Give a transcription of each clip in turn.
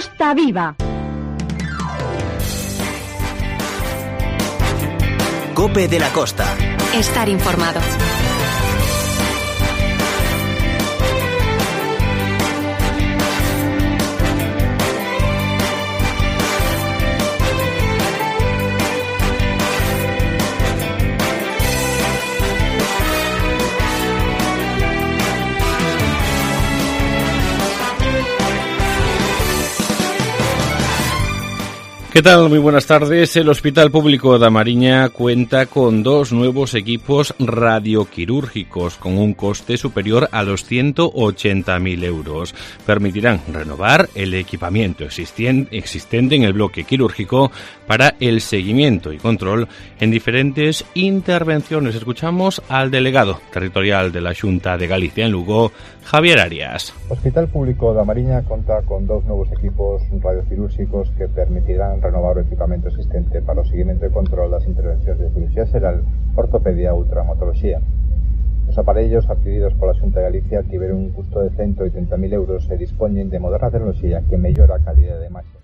Costa Viva. COPE de la Costa. Estar informado. ¿Qué tal? Muy buenas tardes. El Hospital Público da Mariña cuenta con 2 nuevos equipos radioquirúrgicos con un coste superior a los 180.000 euros. Permitirán renovar el equipamiento existente en el bloque quirúrgico para el seguimiento y control en diferentes intervenciones. Escuchamos al delegado territorial de la Xunta de Galicia en Lugo, Javier Arias. O Hospital Público da Mariña conta con 2 novos equipos radioquirúrgicos que permitirán renovar o equipamento existente para o seguimento e control das intervencións de cirurxía xeral, ortopedia e ultrahematoloxía. Os aparellos adquiridos pola Xunta de Galicia tiveron un custo de 180.000 euros e dispoñen de moderna tecnoloxía que mellora a calidade de imaxe.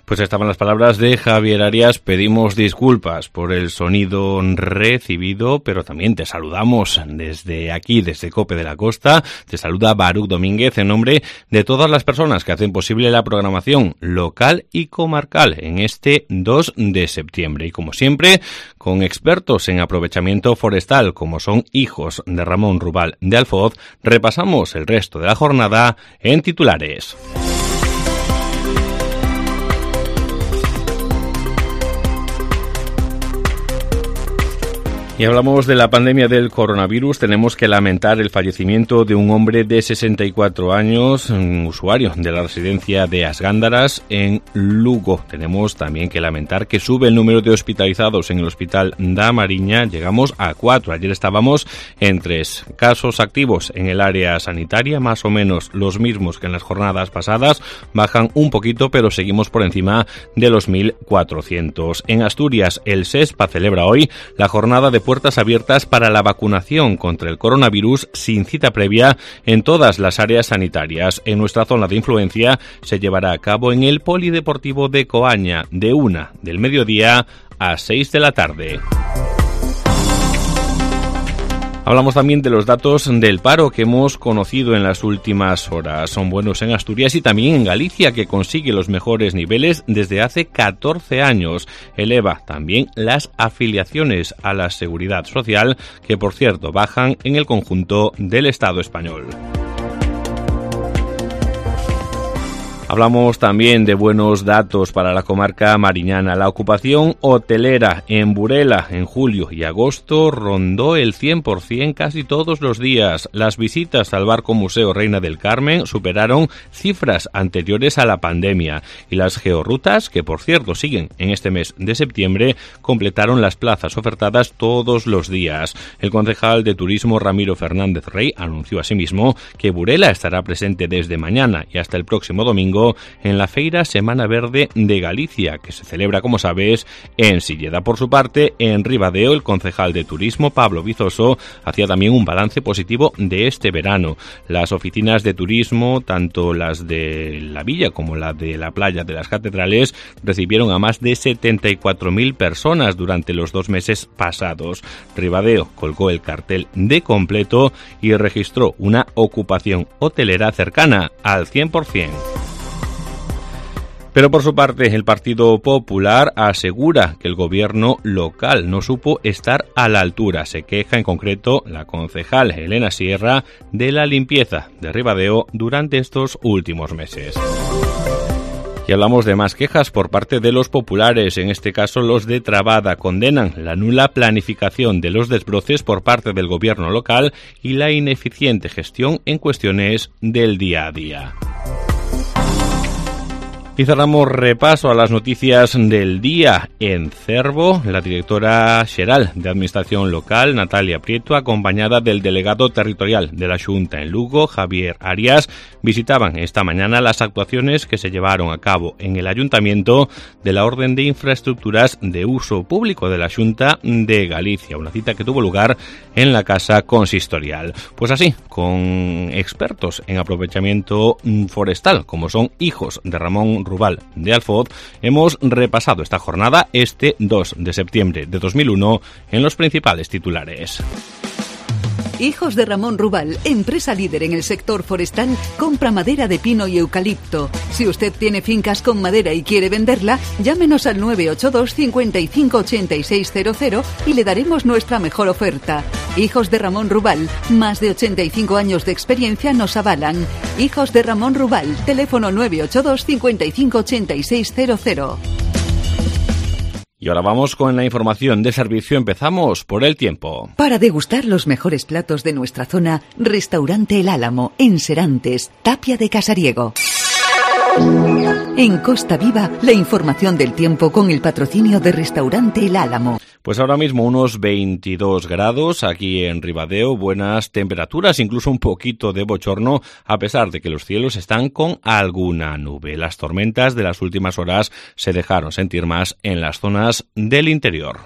Pues estaban las palabras de Javier Arias. Pedimos disculpas por el sonido recibido, pero también te saludamos desde aquí, desde COPE de la Costa. Te saluda Baruch Domínguez en nombre de todas las personas que hacen posible la programación local y comarcal en este 2 de septiembre. Y como siempre, con expertos en aprovechamiento forestal, como son hijos de Ramón Rubal de Alfoz, repasamos el resto de la jornada en titulares. Y hablamos de la pandemia del coronavirus. Tenemos que lamentar el fallecimiento de un hombre de 64 años, un usuario de la residencia de As Gándaras en Lugo. Tenemos también que lamentar que sube el número de hospitalizados en el Hospital da Mariña. Llegamos a 4. Ayer estábamos en 3 casos activos en el área sanitaria, más o menos los mismos que en las jornadas pasadas. Bajan un poquito, pero seguimos por encima de los 1.400. En Asturias, el SESPA celebra hoy la jornada de puertas abiertas para la vacunación contra el coronavirus sin cita previa en todas las áreas sanitarias. En nuestra zona de influencia se llevará a cabo en el Polideportivo de Coaña de 1 del mediodía a 6 de la tarde. Hablamos también de los datos del paro que hemos conocido en las últimas horas. Son buenos en Asturias y también en Galicia, que consigue los mejores niveles desde hace 14 años. Eleva también las afiliaciones a la Seguridad Social, que por cierto bajan en el conjunto del Estado español. Hablamos también de buenos datos para la comarca mariñana. La ocupación hotelera en Burela en julio y agosto rondó el 100% casi todos los días. Las visitas al barco Museo Reina del Carmen superaron cifras anteriores a la pandemia. Y las georrutas, que por cierto siguen en este mes de septiembre, completaron las plazas ofertadas todos los días. El concejal de Turismo Ramiro Fernández Rey anunció asimismo que Burela estará presente desde mañana y hasta el próximo domingo en la Feira Semana Verde de Galicia, que se celebra, como sabes, en Silleda. Por su parte, en Ribadeo, el concejal de Turismo, Pablo Vizoso, hacía también un balance positivo de este verano. Las oficinas de turismo, tanto las de la villa como la de la playa de las Catedrales, recibieron a más de 74.000 personas durante los 2 meses pasados. Ribadeo colgó el cartel de completo y registró una ocupación hotelera cercana al 100%. Pero por su parte, el Partido Popular asegura que el gobierno local no supo estar a la altura. Se queja en concreto la concejal Elena Sierra de la limpieza de Ribadeo durante estos últimos meses. Y hablamos de más quejas por parte de los populares, en este caso los de Trabada. Condenan la nula planificación de los desbroces por parte del gobierno local y la ineficiente gestión en cuestiones del día a día. Y cerramos repaso a las noticias del día. En Cervo, la directora xeral de Administración Local, Natalia Prieto, acompañada del delegado territorial de la Xunta en Lugo, Javier Arias, visitaban esta mañana las actuaciones que se llevaron a cabo en el Ayuntamiento de la Orden de Infraestructuras de Uso Público de la Xunta de Galicia, una cita que tuvo lugar en la Casa Consistorial. Pues así, con expertos en aprovechamiento forestal, como son hijos de Ramón Rural de Alfoz, hemos repasado esta jornada este 2 de septiembre de 2001 en los principales titulares. Hijos de Ramón Rubal, empresa líder en el sector forestal, compra madera de pino y eucalipto. Si usted tiene fincas con madera y quiere venderla, llámenos al 982 55 8600 y le daremos nuestra mejor oferta. Hijos de Ramón Rubal, más de 85 años de experiencia nos avalan. Hijos de Ramón Rubal, teléfono 982 55 8600. Y ahora vamos con la información de servicio. Empezamos por el tiempo. Para degustar los mejores platos de nuestra zona, Restaurante El Álamo, en Serantes, Tapia de Casariego. En Costa Viva, la información del tiempo con el patrocinio de Restaurante El Álamo. Pues ahora mismo unos 22 grados aquí en Ribadeo, buenas temperaturas, incluso un poquito de bochorno, a pesar de que los cielos están con alguna nube. Las tormentas de las últimas horas se dejaron sentir más en las zonas del interior.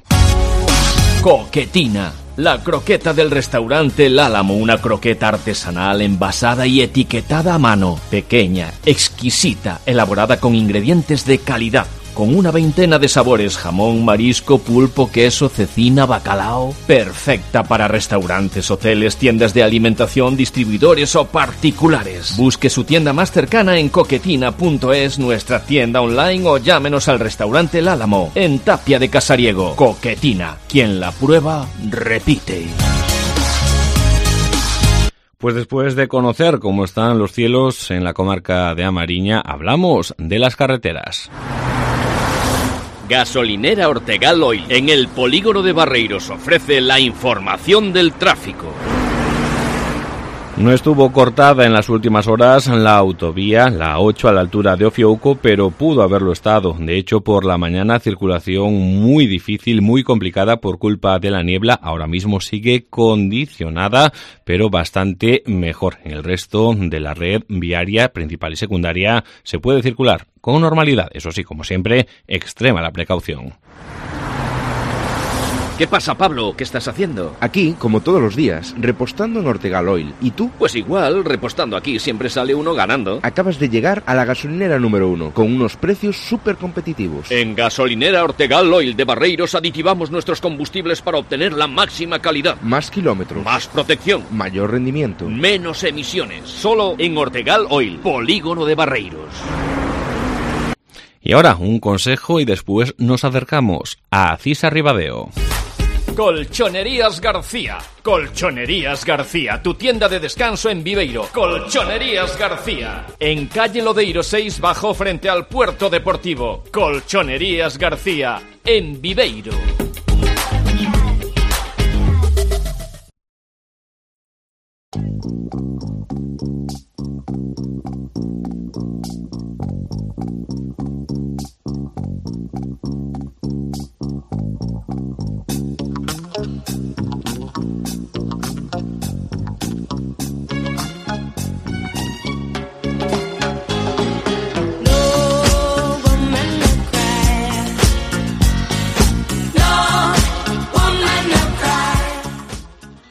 Coquetina, la croqueta del restaurante El Álamo, una croqueta artesanal envasada y etiquetada a mano, pequeña, exquisita, elaborada con ingredientes de calidad, con una veintena de sabores: jamón, marisco, pulpo, queso, cecina, bacalao. Perfecta para restaurantes, hoteles, tiendas de alimentación, distribuidores o particulares. Busque su tienda más cercana en coquetina.es, nuestra tienda online, o llámenos al restaurante El Álamo, en Tapia de Casariego. Coquetina, quien la prueba, repite. Pues después de conocer cómo están los cielos en la comarca de Amariña, hablamos de las carreteras. Gasolinera Ortegal Oil, en el polígono de Barreiros, ofrece la información del tráfico. No estuvo cortada en las últimas horas la autovía, la 8 a la altura de Ofiouco, pero pudo haberlo estado. De hecho, por la mañana circulación muy difícil, muy complicada por culpa de la niebla. Ahora mismo sigue condicionada, pero bastante mejor. En el resto de la red viaria principal y secundaria se puede circular con normalidad. Eso sí, como siempre, extrema la precaución. ¿Qué pasa, Pablo? ¿Qué estás haciendo? Aquí, como todos los días, repostando en Ortegal Oil. ¿Y tú? Pues igual, repostando aquí siempre sale uno ganando. Acabas de llegar a la gasolinera número 1, con unos precios súper competitivos. En Gasolinera Ortegal Oil de Barreiros aditivamos nuestros combustibles para obtener la máxima calidad. Más kilómetros. Más protección. Mayor rendimiento. Menos emisiones. Solo en Ortegal Oil, polígono de Barreiros. Y ahora, un consejo y después nos acercamos a Acisa Ribadeo. Colchonerías García. Colchonerías García, tu tienda de descanso en Viveiro. Colchonerías García. En calle Lodeiro 6, bajo, frente al puerto deportivo. Colchonerías García, en Viveiro.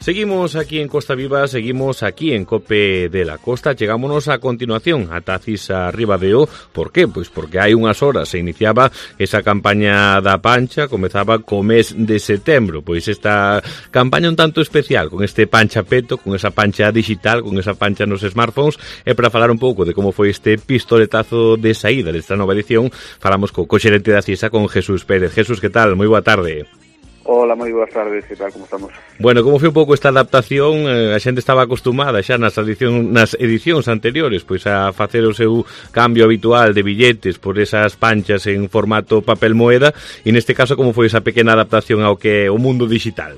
Seguimos aquí en Costa Viva, seguimos aquí en Cope de la Costa. Chegámonos a continuación a Acisa Ribadeo. Por qué? Pois porque hai unhas horas se iniciaba esa campaña da pancha, comezaba co mes de setembro. Pois esta campaña un tanto especial, con este pancha peto, con esa pancha digital, con esa pancha nos smartphones. E para falar un pouco de como foi este pistoletazo de saída desta nova edición, falamos co xerente da Acisa, con Jesús Pérez. Jesús, que tal? Moi boa tarde. Hola, moi boas tardes, que tal, como estamos? Bueno, como foi un pouco esta adaptación? A xente estaba acostumada xa nas edicións anteriores, pois a facer o seu cambio habitual de billetes por esas panchas en formato papel moeda, e neste caso como foi esa pequena adaptación ao que o mundo digital?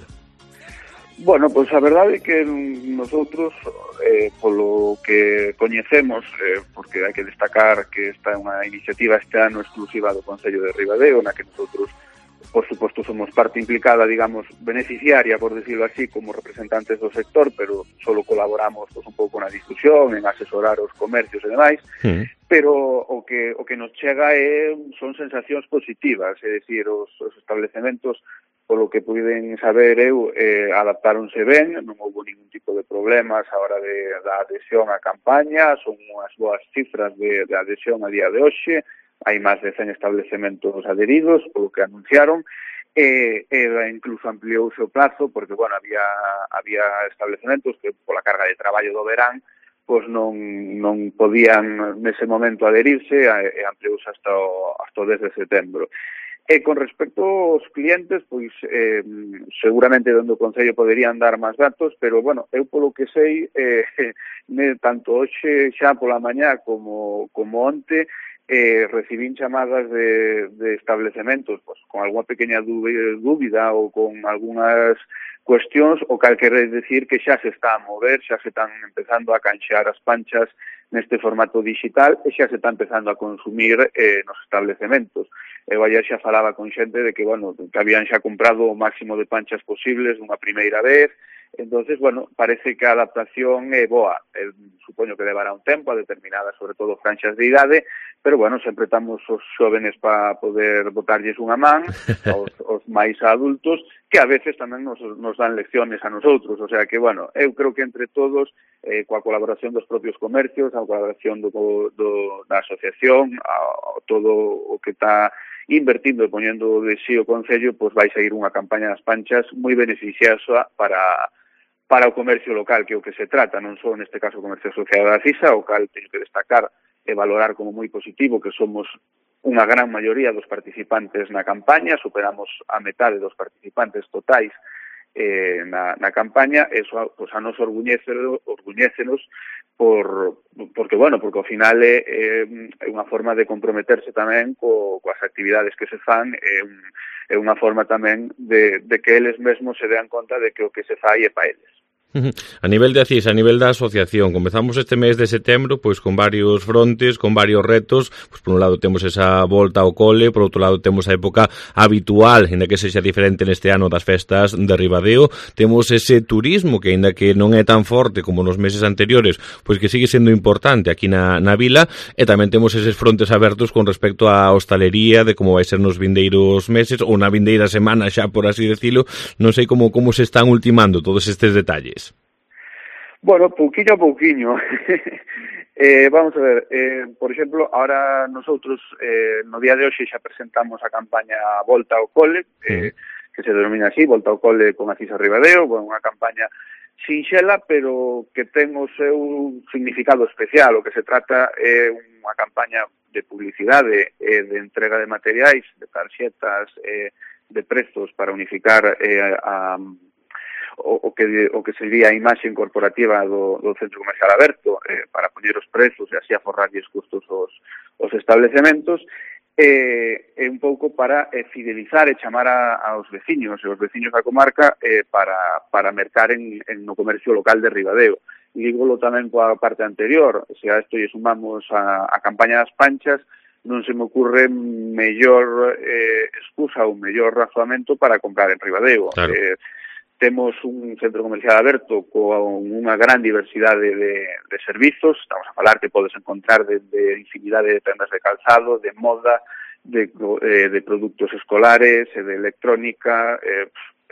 Bueno, pois a verdade é que nosotros, polo que coñecemos, porque hai que destacar que esta é unha iniciativa este ano exclusiva do Concello de Ribadeo, na que nosotros, por suposto, somos parte implicada, digamos, beneficiaria, por decirlo así, como representantes do sector, pero solo colaboramos pues, un pouco na discusión, en asesorar os comercios e demais, pero o que nos chega son sensacións positivas, é dicir, os establecementos, polo que puiden saber eu, adaptáronse ben, non houve ningún tipo de problemas a hora da adhesión á campaña, son unhas boas cifras de adhesión a día de hoxe, hai máis de 100 establecementos adheridos, polo que anunciaron, e incluso ampliouse o plazo, porque, bueno, había establecementos que pola carga de traballo do verán, pois non podían nese momento adherirse, e ampliouse hasta o 10 de setembro. E con respecto aos clientes, pois seguramente dentro do Concello poderían dar máis datos, pero, bueno, eu polo que sei, tanto hoxe xa pola mañá como onte, recibín chamadas de establecementos pois, con alguna pequena dúbida ou con algunhas cuestións, o cal quere decir que xa se está a mover, xa se están empezando a canxear as panchas neste formato digital e xa se está empezando a consumir nos establecementos. Eu ayer xa falaba con xente de que, bueno, que habían xa comprado o máximo de panchas posibles dunha primeira vez. Entonces, bueno, parece que a adaptación é boa. Supoño que levará un tempo a determinadas, sobre todo, franxas de idade, pero, bueno, sempre estamos os xóvenes para poder botarlles unha man, os máis adultos, que a veces tamén nos dan lecciones a nosotros. O sea que, bueno, eu creo que entre todos, coa colaboración dos propios comercios, a colaboración da asociación, todo o que está invertindo e poñendo de sí o Concello, pois vai seguir unha campaña das panchas moi beneficiosa para o comercio local, que é o que se trata, non só neste caso o comercio asociado da CISA, o cal teño que destacar e valorar como moi positivo que somos unha gran maioría dos participantes na campaña, superamos a metade dos participantes totais na campaña, eso pues, a nos orguñécenos porque ao final é unha forma de comprometerse tamén coas actividades que se fan, é unha forma tamén de que eles mesmos se dean conta de que o que se fai é para eles. A nivel de ACIS, a nivel da asociación, comezamos este mes de setembro pois con varios frontes, con varios retos. Pois por un lado temos esa volta ao cole, por outro lado temos a época habitual, ainda que sexa diferente neste ano das festas de Ribadeo. Temos ese turismo que, ainda que non é tan forte como nos meses anteriores, pois que sigue sendo importante aquí na vila, e tamén temos eses frontes abertos con respecto á hostalería, de como vai ser nos vindeiros meses ou na vindeira semana xa, por así decirlo. Non sei como se están ultimando todos estes detalles. Bueno, pouquiño a pouquiño. Vamos a ver, por exemplo, ahora nosotros no día de hoxe xa presentamos a campaña Volta ao Cole, que se denomina así, Volta ao Cole con ACIS Ribadeo, unha campaña sinxela, pero que ten o seu significado especial. O que se trata é unha campaña de publicidade, de entrega de materiais, de tarxetas, de prezos para unificar o que sería a imaxe corporativa do centro comercial aberto, para poñer os prezos e así aforrarlles custos os establecementos, e un pouco para fidelizar e chamar aos veciños e os veciños da comarca para mercar no comercio local de Ribadeo. E dígolo tamén coa parte anterior, se a isto lle sumamos a campaña das panchas, non se me ocurre mellor excusa ou mellor razoamento para comprar en Ribadeo. Claro. Temos un centro comercial aberto con unha gran diversidade de servizos. Estamos a falar que podes encontrar de infinidade de tendas de calzado, de moda, de produtos escolares, de electrónica,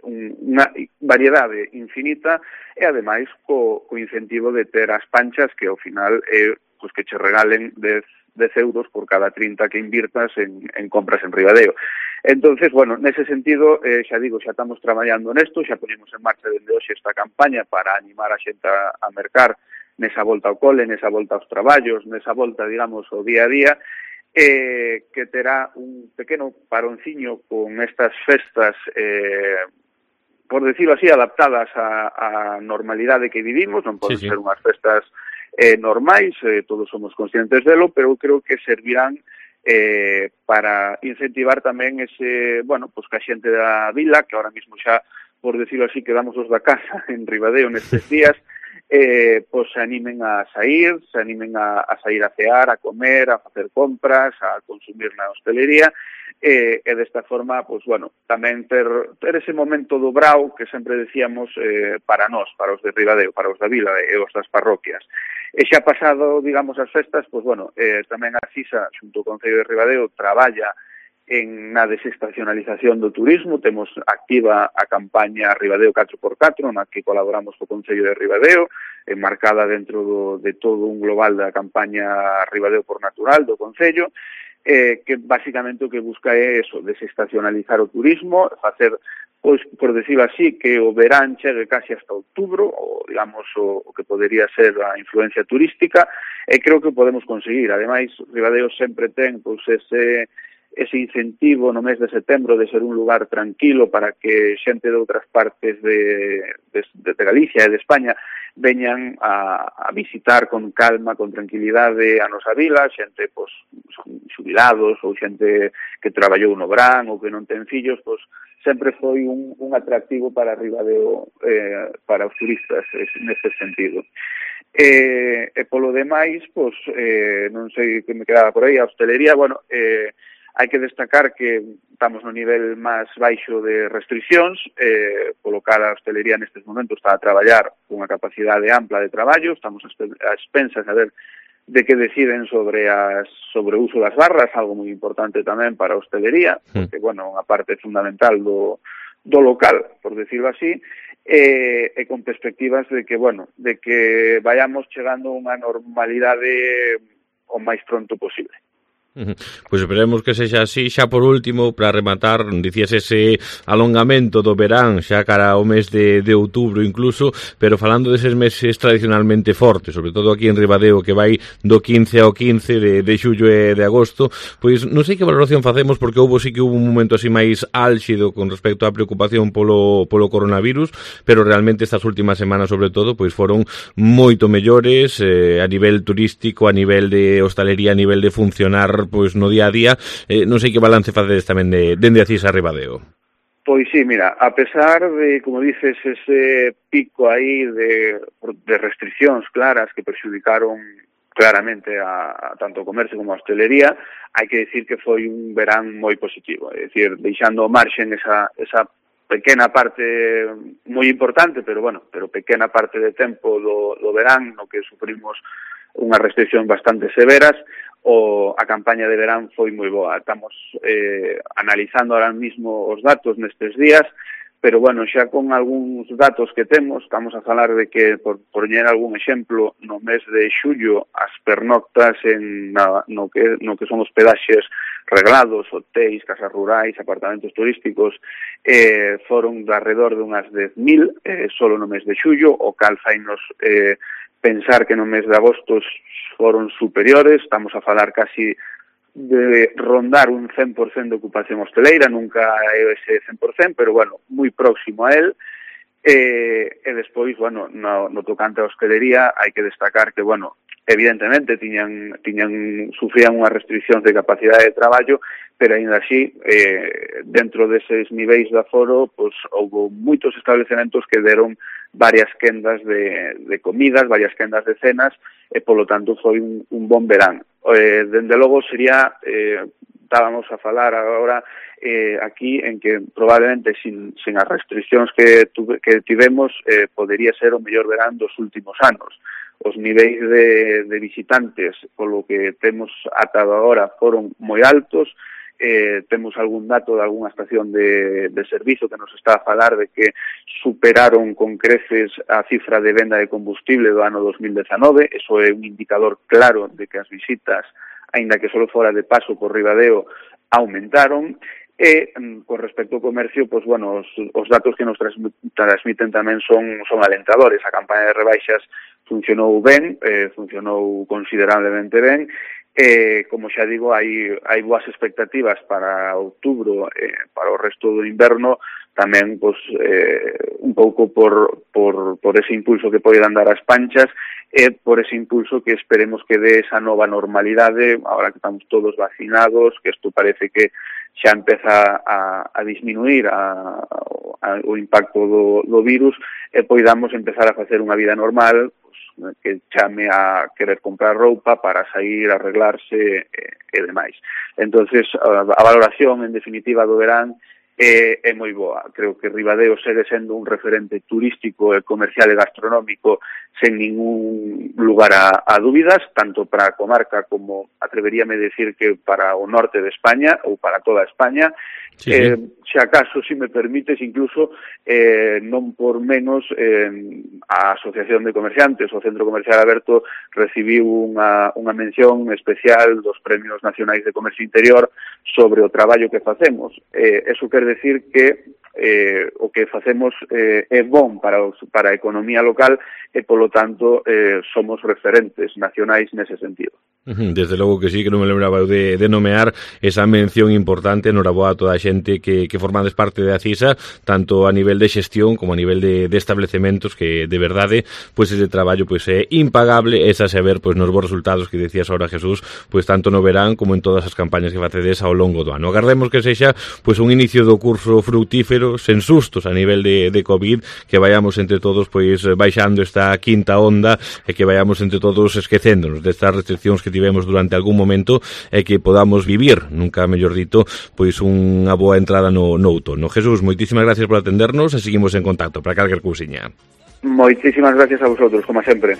unha variedade infinita, e ademais co incentivo de ter as panchas, que ao final pues, que che regalen 10 euros por cada 30 que invirtas en compras en Ribadeo. Entonces, bueno, nese sentido, xa digo, xa estamos traballando nesto, xa ponemos en marcha dende hoxe esta campaña para animar a xente a mercar nesa volta ao cole, nesa volta aos traballos, nesa volta, digamos, ao día a día, que terá un pequeno paronciño con estas festas, por decirlo así, adaptadas á normalidade que vivimos. Non poden ser unhas festas normais, todos somos conscientes delo, pero creo que servirán para incentivar tamén ese, bueno, pues que a xente da vila, que ahora mismo xa, por decirlo así, quedamos os da casa en Ribadeo nestes días, pues se animen a sair, a sair a cear, a comer, a facer compras, a consumir na hostelería, e desta forma, pues bueno, tamén ter ese momento dobrao que sempre decíamos para nós, para os de Ribadeo, para os da vila e os das parroquias. E xa pasado, digamos, as festas, pues bueno, tamén a CISA, xunto ao Concello de Ribadeo, traballa na desestacionalización do turismo. Temos activa a campaña Ribadeo 4x4, na que colaboramos co Concello de Ribadeo, enmarcada dentro de todo un global da campaña Ribadeo por Natural do Concello, que basicamente o que busca é eso, desestacionalizar o turismo, facer, pois, por decirlo así, que o verán chegue casi hasta outubro, ou, digamos, o que podería ser a influencia turística, e creo que podemos conseguir. Ademais, Ribadeo sempre ten, pois, ese incentivo no mes de setembro de ser un lugar tranquilo para que xente de outras partes de Galicia e de España veñan a visitar con calma, con tranquilidade a nosa vila, xente, pois, xubilados ou xente que traballou no verán ou que non ten fillos, pois sempre foi un atractivo para Ribadeo, para os turistas neste sentido. E polo demais, pois, non sei que me quedaba por aí, a hostelería, bueno, hai que destacar que estamos no nivel máis baixo de restriccións, polo cal a hostelería nestes momentos está a traballar cunha capacidade ampla de traballo, estamos a expensas a ver de que deciden sobre o uso das barras, algo moi importante tamén para a hostelería, porque, bueno, unha parte fundamental do local, por decirlo así, e con perspectivas de que, bueno, de que vayamos chegando a unha normalidade o máis pronto posible. Pois esperemos que sexa así. Xa por último, para rematar, dicías ese alongamento do verán xa cara ao mes de outubro incluso, pero falando deses meses tradicionalmente fortes, sobre todo aquí en Ribadeo, que vai do 15 ao 15 de xullo e de agosto, pois non sei que valoración facemos, porque sí que hubo un momento así máis álxido con respecto á preocupación polo coronavirus, pero realmente estas últimas semanas, sobre todo, pois foron moito mellores a nivel turístico, a nivel de hostalería, a nivel de funcionar pois no día a día. Non sei que balance facedes tamén dende Acís a Ribadeo. Pois sí, mira, a pesar de, como dices, ese pico aí de restriccións claras que perxudicaron claramente a tanto o comercio como a hostelería, hai que decir que foi un verán moi positivo, é dicir, deixando ao marxen esa pequena parte moi importante, pero pequena parte de tempo do verán no que sufrimos unhas restriccións bastante severas. A campaña de verán foi moi boa. Estamos analizando ahora mismo os datos nestes días, pero, bueno, xa con algúns datos que temos, estamos a falar de que, por poñer algún exemplo, no mes de xullo, as pernoctas no que son hospedaxes reglados, hotéis, casas rurais, apartamentos turísticos, foron de alrededor de unhas 10.000, solo no mes de xullo, o cal fainos pensar que no mes de agosto foron superiores, estamos a falar casi de rondar un 100% de ocupación hosteleira, nunca é ese 100%, pero, bueno, moi próximo a él. E despois, bueno, no tocante a hostelería, hai que destacar que, bueno, evidentemente sufrían unhas restriccións de capacidade de traballo, pero aínda así, dentro deses niveis de aforo, pois houve moitos establecementos que deron varias quendas de comidas, varias quendas de cenas, e polo tanto foi un bon verán. Dende logo sería, estábamos a falar agora aquí en que probablemente sin as restriccións que tivemos podería ser o mellor verán dos últimos anos. Os niveis de visitantes, polo que temos atado agora, foron moi altos. Temos algún dato de algunha estación de servizo que nos está a falar de que superaron con creces a cifra de venda de combustible do ano 2019. Eso é un indicador claro de que as visitas, aínda que só fora de paso por Ribadeo, aumentaron. E, con respecto ao comercio, pois, bueno, os datos que nos transmiten tamén son alentadores. A campaña de rebaixas funcionou ben, funcionou considerablemente ben. Como xa digo, hai boas expectativas para outubro, para o resto do inverno, tamén pois, un pouco por ese impulso que poden dar as panchas e por ese impulso que esperemos que dé esa nova normalidade, agora que estamos todos vacinados, que isto parece que xa empeza a disminuir o impacto do virus, e poidamos empezar a facer unha vida normal, que chame a querer comprar roupa para sair, arreglarse e demais. Entonces, a valoración, en definitiva, do verán é moi boa. Creo que Ribadeo segue sendo un referente turístico, comercial e gastronómico sen ningún lugar a dúbidas, tanto para a comarca como, atreveríame a decir, que para o norte de España ou para toda España. Se acaso, si me permites, incluso non por menos a Asociación de Comerciantes, o Centro Comercial Aberto, recibiu unha mención especial dos Premios Nacionais de Comercio Interior sobre o traballo que facemos. Eso quer decir que o que facemos é bon para a economía local e, polo tanto, somos referentes nacionais nese sentido. Desde logo que sí, que non me lembraba de nomear esa mención importante. Noraboa a toda a xente que formades parte de Acisa, tanto a nivel de xestión como a nivel de establecementos, que de verdade, pois ese traballo pois é impagable, esa saber pois nos bons resultados que decías ahora, Jesús, pois tanto no verán como en todas as campañas que facedes ao longo do ano. Agardemos que sexa pois un inicio do curso fructífero, sen sustos a nivel de COVID, que vayamos entre todos pois baixando esta quinta onda e que vayamos entre todos esquecéndonos destas restriccións que tivemos durante algún momento e que podamos vivir, nunca mellor dito, pois unha boa entrada no outono. Jesús, moitísimas gracias por atendernos e seguimos en contacto para calquer cousiña. Moitísimas gracias a vosotros, como sempre.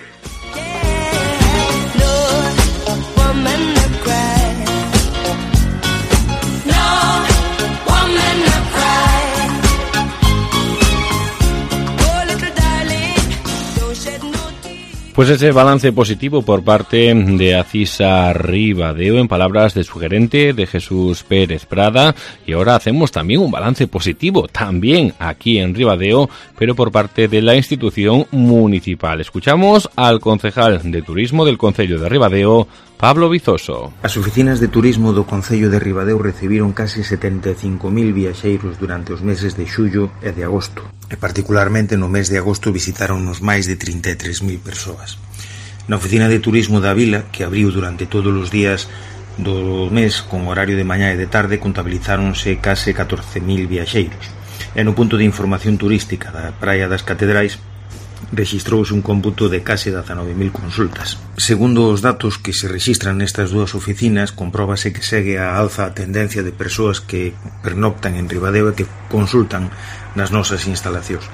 Pues ese balance positivo por parte de Acisa Ribadeo, en palabras de su gerente, de Jesús Pérez Prada. Y ahora hacemos también un balance positivo, también aquí en Ribadeo, pero por parte de la institución municipal. Escuchamos al concejal de turismo del Concello de Ribadeo, Pablo Vizoso. As oficinas de turismo do Concello de Ribadeo recibiron casi 75.000 viaxeiros durante os meses de xullo e de agosto. E particularmente no mes de agosto visitaronnos máis de 33.000 persoas. Na oficina de turismo da vila, que abriu durante todos os días do mes con horario de mañá e de tarde, contabilizáronse case 14.000 viaxeiros. E no punto de información turística da Praia das Catedrais rexistrouse un cómputo de case 19.000 consultas. Segundo os datos que se rexistran nestas dúas oficinas, compróbase que segue a alza a tendencia de persoas que pernoctan en Ribadeo e que consultan nas nosas instalacións.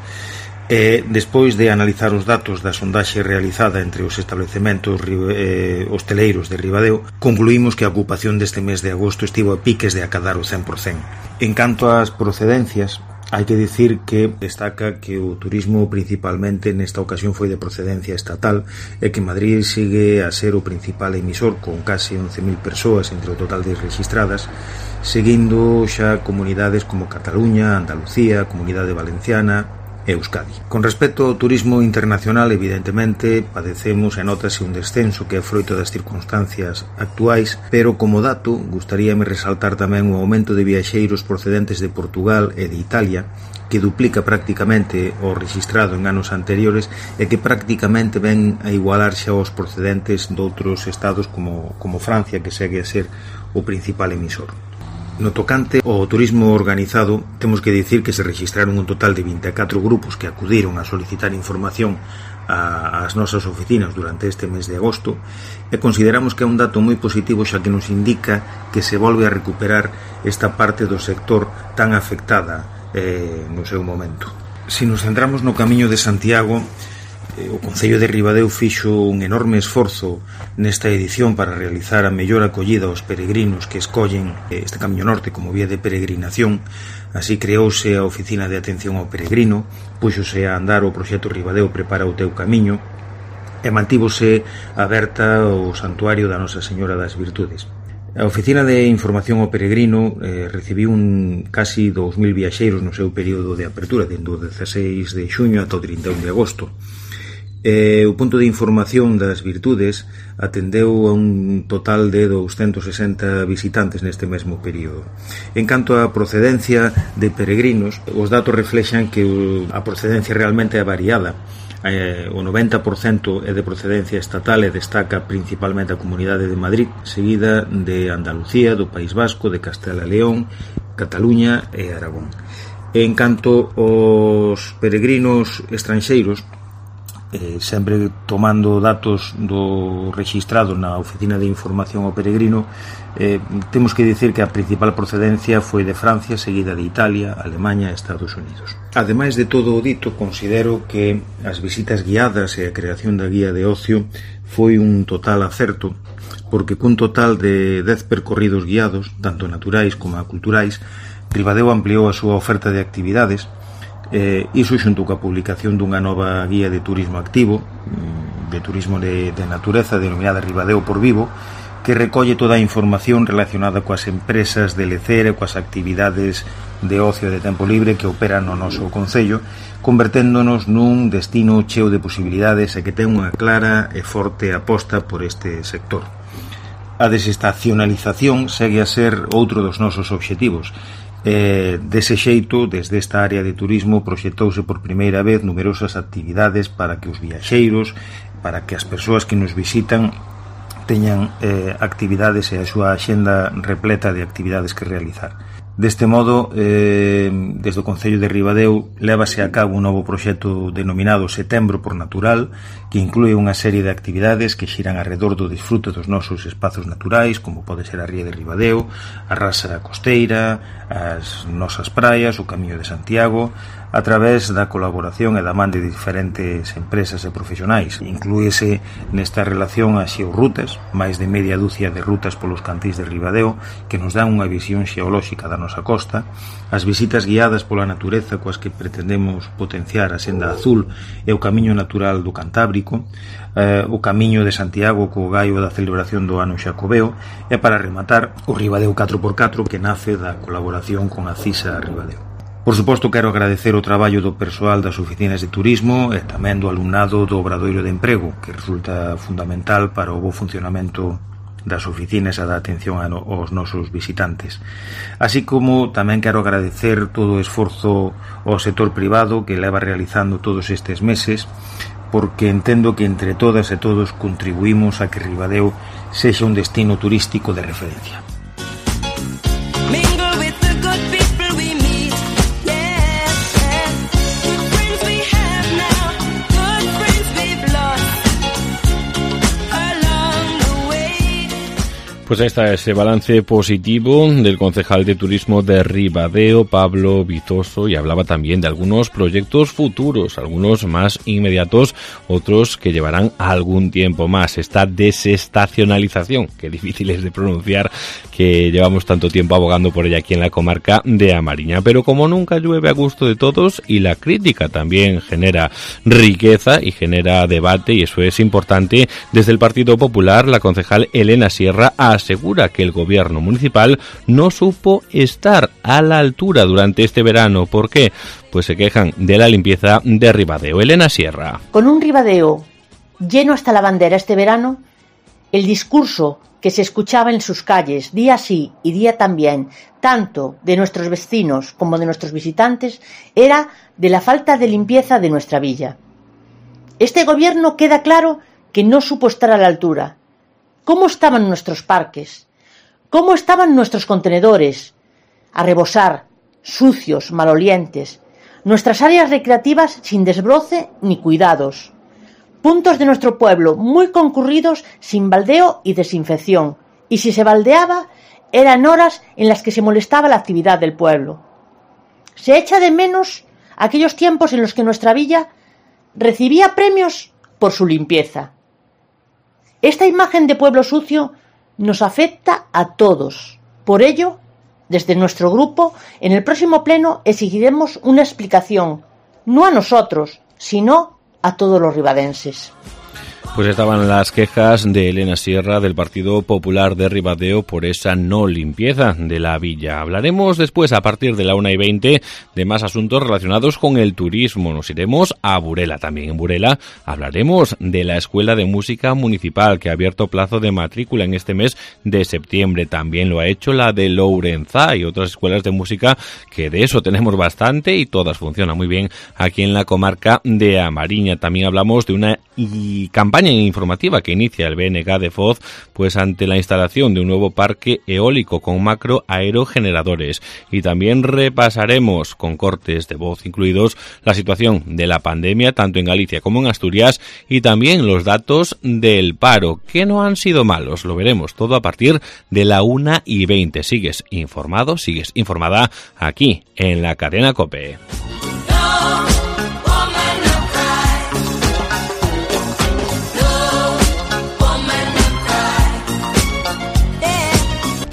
Despois de analizar os datos da sondaxe realizada entre os establecementos hosteleiros de Ribadeo, concluímos que a ocupación deste mes de agosto estivo a piques de acadar o 100%. En canto ás procedencias, hai que dicir que destaca que o turismo principalmente nesta ocasión foi de procedencia estatal e que Madrid sigue a ser o principal emisor con case 11.000 persoas entre o total de registradas, seguindo xa comunidades como Cataluña, Andalucía, Comunidade Valenciana e Euskadi. Con respecto ao turismo internacional, evidentemente, padecemos e notase un descenso que é froito das circunstancias actuais, pero como dato, gustaríame resaltar tamén o aumento de viaxeiros procedentes de Portugal e de Italia, que duplica prácticamente o registrado en anos anteriores e que prácticamente ven a igualarse aos procedentes doutros estados como Francia, que segue a ser o principal emisor. No tocante ao turismo organizado, temos que dicir que se registraron un total de 24 grupos que acudiron a solicitar información ás nosas oficinas durante este mes de agosto e consideramos que é un dato moi positivo, xa que nos indica que se volve a recuperar esta parte do sector tan afectada no seu momento. Se nos centramos no Camiño de Santiago, o Concello de Ribadeo fixo un enorme esforzo nesta edición para realizar a mellor acollida aos peregrinos que escollen este Camiño Norte como vía de peregrinación. Así creouse a Oficina de Atención ao Peregrino, puxose a andar o proxecto Ribadeo Prepara o Teu Camiño e mantívose aberta o Santuario da Nosa Señora das Virtudes. A Oficina de Información ao Peregrino recibiu casi 2.000 viaxeiros no seu período de apertura, dende o 16 de xuño ata o 31 de agosto. O punto de información das virtudes atendeu a un total de 260 visitantes neste mesmo período. En canto á procedencia de peregrinos, os datos reflexan que a procedencia realmente é variada. O 90% é de procedencia estatal e destaca principalmente a Comunidade de Madrid, seguida de Andalucía, do País Vasco, de Castela e León, Cataluña e Aragón. En canto aos peregrinos estranxeiros, sempre tomando datos do registrado na Oficina de Información ao Peregrino, temos que dicir que a principal procedencia foi de Francia, seguida de Italia, Alemanha e Estados Unidos. Ademais de todo o dito, considero que as visitas guiadas e a creación da guía de ocio foi un total acerto, porque cun total de 10 percorridos guiados, tanto naturais como culturais, Ribadeo ampliou a súa oferta de actividades, Iso xunto coa publicación dunha nova guía de turismo activo, de turismo de natureza, denominada Ribadeo por Vivo, que recolle toda a información relacionada coas empresas de lecer e coas actividades de ocio e de tempo libre que operan no noso concello, converténdonos nun destino cheo de posibilidades e que ten unha clara e forte aposta por este sector. A desestacionalización segue a ser outro dos nosos obxectivos. Dese xeito, desde esta área de turismo proxectouse por primeira vez numerosas actividades para que os viaxeiros, para que as persoas que nos visitan teñan actividades e a súa axenda repleta de actividades que realizar. Deste modo, desde o Concello de Ribadeo lévase a cabo un novo proxecto denominado Setembro por Natural, que inclúe unha serie de actividades que xiran arredor do disfrute dos nosos espazos naturais, como pode ser a Ría de Ribadeo, a Rasa Costeira, as nosas praias, o Camiño de Santiago, a través da colaboración e da man de diferentes empresas e profesionais. Inclúese nesta relación as xeorrutas, máis de media dúcia de rutas polos cantís de Ribadeo, que nos dan unha visión xeolóxica da nosa costa, as visitas guiadas pola natureza coas que pretendemos potenciar a Senda Azul e o Camiño Natural do Cantábrico, o Camiño de Santiago co gaio da celebración do ano Xacobeo, e para rematar o Ribadeo 4x4, que nace da colaboración con a CISA Ribadeo. Por suposto, quero agradecer o traballo do persoal das oficinas de turismo e tamén do alumnado do Obradoiro de Emprego, que resulta fundamental para o bo funcionamento das oficinas e da atención aos nosos visitantes. Así como tamén quero agradecer todo o esforzo ao sector privado que leva realizando todos estes meses, porque entendo que entre todas e todos contribuímos a que Ribadeo sexa un destino turístico de referencia. Pues ahí está ese balance positivo del concejal de turismo de Ribadeo, Pablo Vizoso, y hablaba también de algunos proyectos futuros, algunos más inmediatos, otros que llevarán algún tiempo más. Esta desestacionalización, que difícil es de pronunciar, que llevamos tanto tiempo abogando por ella aquí en la comarca de A Mariña. Pero como nunca llueve a gusto de todos, y la crítica también genera riqueza y genera debate, y eso es importante, desde el Partido Popular, la concejal Elena Sierra asegura que el gobierno municipal no supo estar a la altura durante este verano. ¿Por qué? Pues se quejan de la limpieza de Ribadeo. Elena Sierra. Con un Ribadeo lleno hasta la bandera este verano, el discurso que se escuchaba en sus calles día sí y día también, tanto de nuestros vecinos como de nuestros visitantes, era de la falta de limpieza de nuestra villa. Este gobierno queda claro que no supo estar a la altura. ¿Cómo estaban nuestros parques? ¿Cómo estaban nuestros contenedores? A rebosar, sucios, malolientes. Nuestras áreas recreativas sin desbroce ni cuidados. Puntos de nuestro pueblo muy concurridos sin baldeo y desinfección. Y si se baldeaba, eran horas en las que se molestaba la actividad del pueblo. Se echa de menos aquellos tiempos en los que nuestra villa recibía premios por su limpieza. Esta imagen de pueblo sucio nos afecta a todos. Por ello, desde nuestro grupo, en el próximo pleno exigiremos una explicación, no a nosotros, sino a todos los ribadenses. Pues estaban las quejas de Elena Sierra del Partido Popular de Ribadeo por esa no limpieza de la villa. Hablaremos después, a partir de la 1:20, de más asuntos relacionados con el turismo. Nos iremos a Burela. También en Burela hablaremos de la Escuela de Música Municipal, que ha abierto plazo de matrícula en este mes de septiembre. También lo ha hecho la de Lourenzá y otras escuelas de música, que de eso tenemos bastante y todas funcionan muy bien aquí en la comarca de A Mariña. También hablamos de una campaña informativa que inicia el BNG de Foz, pues ante la instalación de un nuevo parque eólico con macro aerogeneradores. Y también repasaremos, con cortes de voz incluidos, la situación de la pandemia tanto en Galicia como en Asturias, y también los datos del paro, que no han sido malos. Lo veremos todo a partir de la 1:20. Sigues informado, sigues informada aquí en la cadena COPE.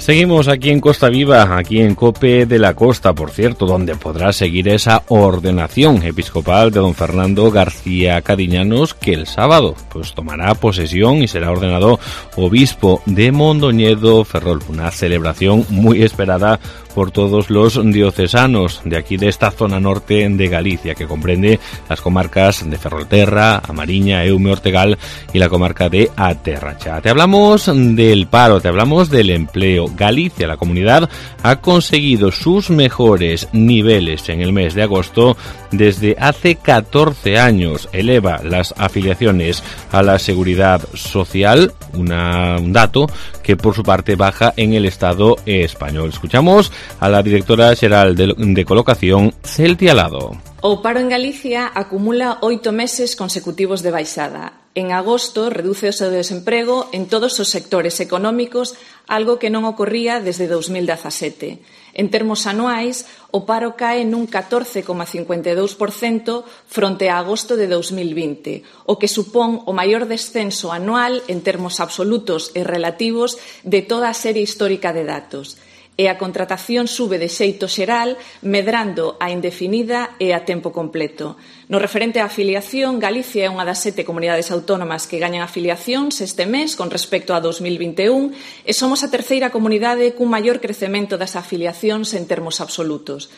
Seguimos aquí en Costa Viva, aquí en COPE de la Costa, por cierto, donde podrá seguir esa ordenación episcopal de don Fernando García Cadiñanos, que el sábado pues tomará posesión y será ordenado obispo de Mondoñedo, Ferrol. Una celebración muy esperada por todos los diocesanos de aquí, de esta zona norte de Galicia, que comprende las comarcas de Ferrolterra, A Mariña, Eume, Ortegal y la comarca de A Terracha. Te hablamos del paro, te hablamos del empleo. Galicia, la comunidad, ha conseguido sus mejores niveles en el mes de agosto desde hace 14 años. Eleva las afiliaciones a la seguridad social, un dato que por su parte baja en el Estado español. Escuchamos a la directora xeral de Colocación, Celtia Lado. O paro en Galicia acumula 8 meses consecutivos de baixada. En agosto reduce o seu desemprego en todos os sectores económicos, algo que non ocorría desde 2017. En termos anuais, o paro cae nun 14,52% fronte a agosto de 2020, o que supón o maior descenso anual en termos absolutos e relativos de toda a serie histórica de datos. E a contratación sube de xeito xeral, medrando a indefinida e a tempo completo. No referente á afiliación, Galicia é unha das 7 comunidades autónomas que gañan afiliacións este mes con respecto a 2021 e somos a terceira comunidade cun maior crecemento das afiliacións en termos absolutos.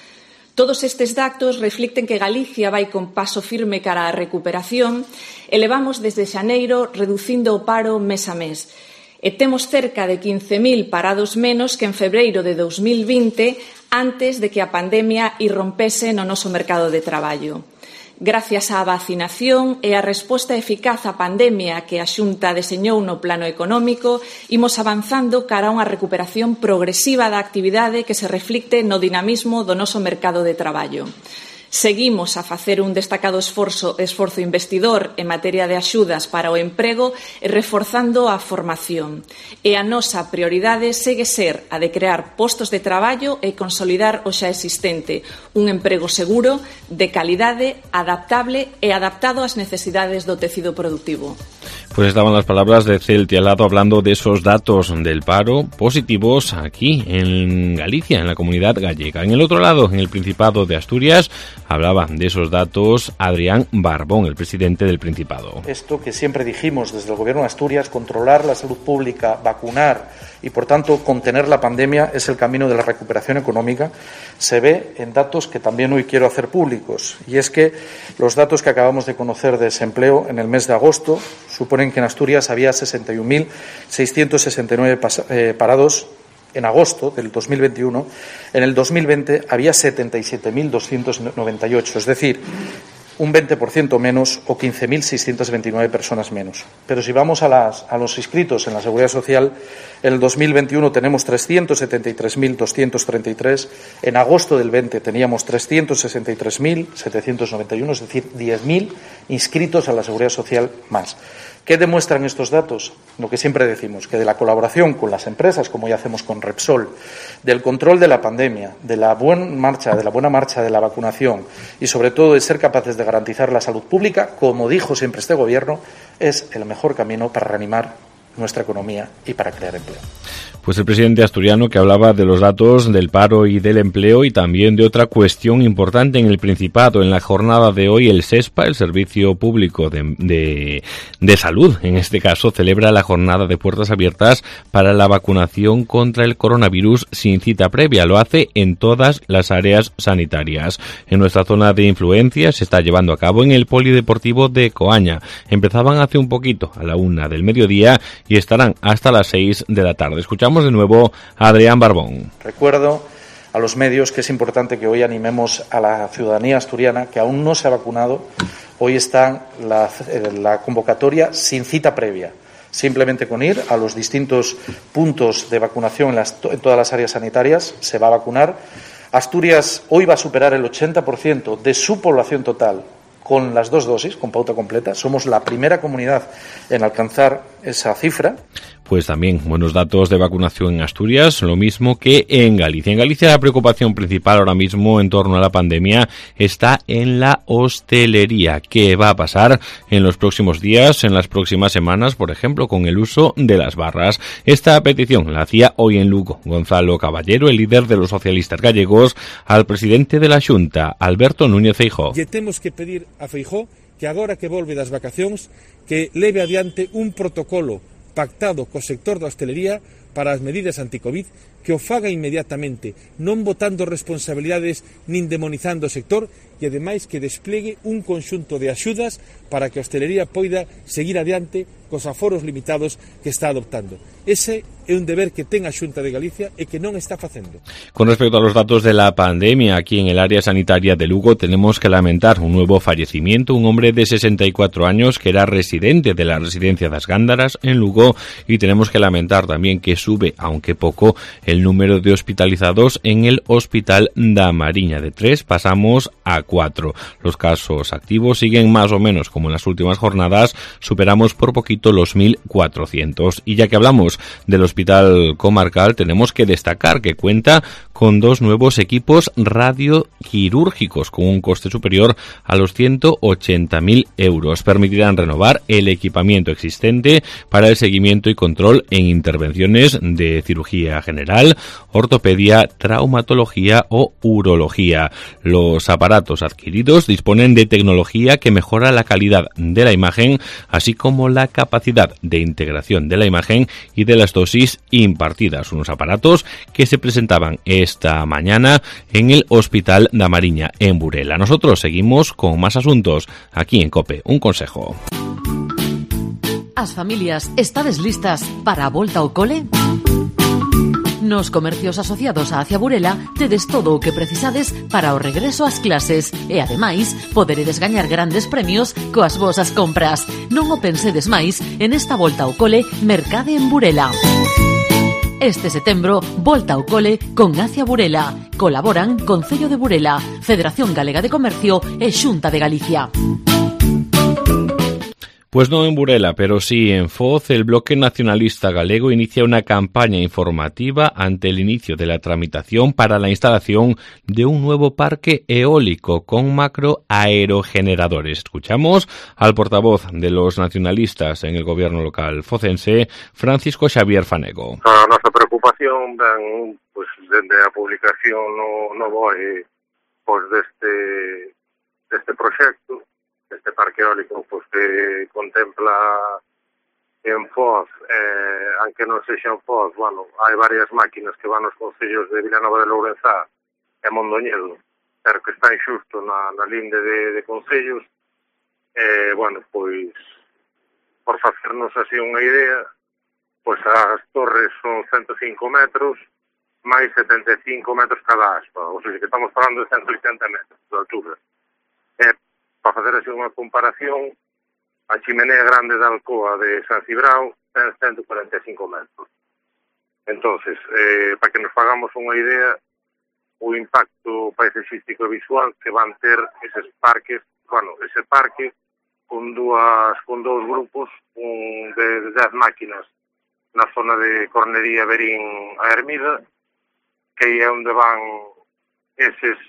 Todos estes datos reflicten que Galicia vai con paso firme cara á recuperación e levamos desde xaneiro reducindo o paro mes a mes. E temos cerca de 15.000 parados menos que en febreiro de 2020, antes de que a pandemia irrompese no noso mercado de traballo. Gracias á vacinación e á resposta eficaz á pandemia que a Xunta deseñou no plano económico, imos avanzando cara a unha recuperación progresiva da actividade que se reflicte no dinamismo do noso mercado de traballo. Seguimos a facer un destacado esforzo investidor en materia de axudas para o emprego e reforzando a formación. E a nosa prioridade segue ser a de crear postos de traballo e consolidar o xa existente, un emprego seguro, de calidade, adaptable e adaptado ás necesidades do tecido productivo. Pues estaban las palabras de Celtia Lado hablando de esos datos del paro positivos aquí en Galicia, en la comunidad gallega. En el otro lado, en el Principado de Asturias, hablaba de esos datos Adrián Barbón, el presidente del Principado. Esto que siempre dijimos desde el Gobierno de Asturias, controlar la salud pública, vacunar y, por tanto, contener la pandemia es el camino de la recuperación económica, se ve en datos que también hoy quiero hacer públicos. Y es que los datos que acabamos de conocer de desempleo en el mes de agosto suponen que en Asturias había 61.669 parados en agosto del 2021. En el 2020 había 77.298, es decir, un 20% menos o 15.629 personas menos. Pero si vamos a los inscritos en la Seguridad Social, en el 2021 tenemos 373.233, en agosto del 20 teníamos 363.791, es decir, 10.000 inscritos a la Seguridad Social más. ¿Qué demuestran estos datos? Lo que siempre decimos, que de la colaboración con las empresas, como ya hacemos con Repsol, del control de la pandemia, de la buena marcha de la vacunación y sobre todo de ser capaces de garantizar la salud pública, como dijo siempre este Gobierno, es el mejor camino para reanimar nuestra economía y para crear empleo. Pues el presidente asturiano que hablaba de los datos del paro y del empleo y también de otra cuestión importante en el Principado. En la jornada de hoy el SESPA, el Servicio Público de Salud, en este caso, celebra la jornada de puertas abiertas para la vacunación contra el coronavirus sin cita previa. Lo hace en todas las áreas sanitarias. En nuestra zona de influencia se está llevando a cabo en el Polideportivo de Coaña. Empezaban hace un poquito, a la 1 del mediodía, y estarán hasta las 6 de la tarde. Escuchamos de nuevo a Adrián Barbón. Recuerdo a los medios que es importante que hoy animemos a la ciudadanía asturiana que aún no se ha vacunado. Hoy está la convocatoria sin cita previa. Simplemente con ir a los distintos puntos de vacunación en todas las áreas sanitarias se va a vacunar. Asturias hoy va a superar el 80% de su población total con las 2 dosis, con pauta completa. Somos la primera comunidad en alcanzar esa cifra. Pues también buenos datos de vacunación en Asturias, lo mismo que en Galicia. En Galicia la preocupación principal ahora mismo en torno a la pandemia está en la hostelería. ¿Qué va a pasar en los próximos días, en las próximas semanas, por ejemplo, con el uso de las barras? Esta petición la hacía hoy en Lugo Gonzalo Caballero, el líder de los socialistas gallegos, al presidente de la Xunta, Alberto Núñez Feijóo. Lle temos que pedir a Feijóo que agora que volve das vacacións que leve adiante un protocolo pactado co sector da hostelería para as medidas anti-Covid, que o faga inmediatamente, non botando responsabilidades nin demonizando o sector, e ademais que desplegue un conxunto de axudas para que a hostelería poida seguir adiante cos aforos limitados que está adoptando. Ese é un deber que ten a Xunta de Galicia e que non está facendo. Con respecto a los datos de la pandemia, aquí en el área sanitaria de Lugo tenemos que lamentar un nuevo fallecimiento, un hombre de 64 años que era residente de la residencia das Gándaras en Lugo, y tenemos que lamentar también que sube, aunque poco, el número de hospitalizados en el Hospital da Mariña. De 3 pasamos a 4. Los casos activos siguen más o menos como en las últimas jornadas, superamos por poquito los 1.400. Y ya que hablamos del Hospital Comarcal, tenemos que destacar que cuenta con 2 nuevos equipos radioquirúrgicos con un coste superior a los 180.000 euros. Permitirán renovar el equipamiento existente para el seguimiento y control en intervenciones de cirugía general, ortopedia, traumatología o urología. Los aparatos adquiridos disponen de tecnología que mejora la calidad de la imagen, así como la capacidad de integración de la imagen y de las dosis impartidas. Unos aparatos que se presentaban esta mañana en el Hospital da Mariña, en Burela. Nosotros seguimos con más asuntos aquí en COPE. Un consejo. As familias, estades listas para a volta ao cole? Nos comercios asociados a Acia Burela tedes todo o que precisades para o regreso ás clases e, ademais, poderedes gañar grandes premios coas vosas compras. Non o pensedes máis en esta volta ao cole Mercade en Burela. Este setembro, volta ao cole con Acia Burela. Colaboran Concello de Burela, Federación Galega de Comercio e Xunta de Galicia. Pues no en Burela, pero sí en Foz, el Bloque Nacionalista Galego inicia una campaña informativa ante el inicio de la tramitación para la instalación de un nuevo parque eólico con macroaerogeneradores. Escuchamos al portavoz de los nacionalistas en el gobierno local focense, Francisco Xavier Fanego. A nosa preocupación ven, pues, dende a publicación no BOE pues, deste proxecto, este parque eólico pues, que contempla en Foz, aunque non sexa en Foz, bueno, hai varias máquinas que van aos concellos de Vilanova de Lourenzá e Mondoñedo, pero que están xusto na linde de concellos. Bueno, pois, por facernos así unha idea, pois as torres son 105 metros, máis 75 metros cada aspa, ou sea, que estamos falando de 180 metros de altura. Para facer así unha comparación, a chimenea grande da Alcoa de San Cibrao ten 145 metros. Entonces, para que nos fagamos unha idea, o impacto paisaxístico e visual que van ter eses parques, bueno, ese parque con dous grupos, un de 10 máquinas na zona de Cornería, Berín a Hermida, que é onde van eses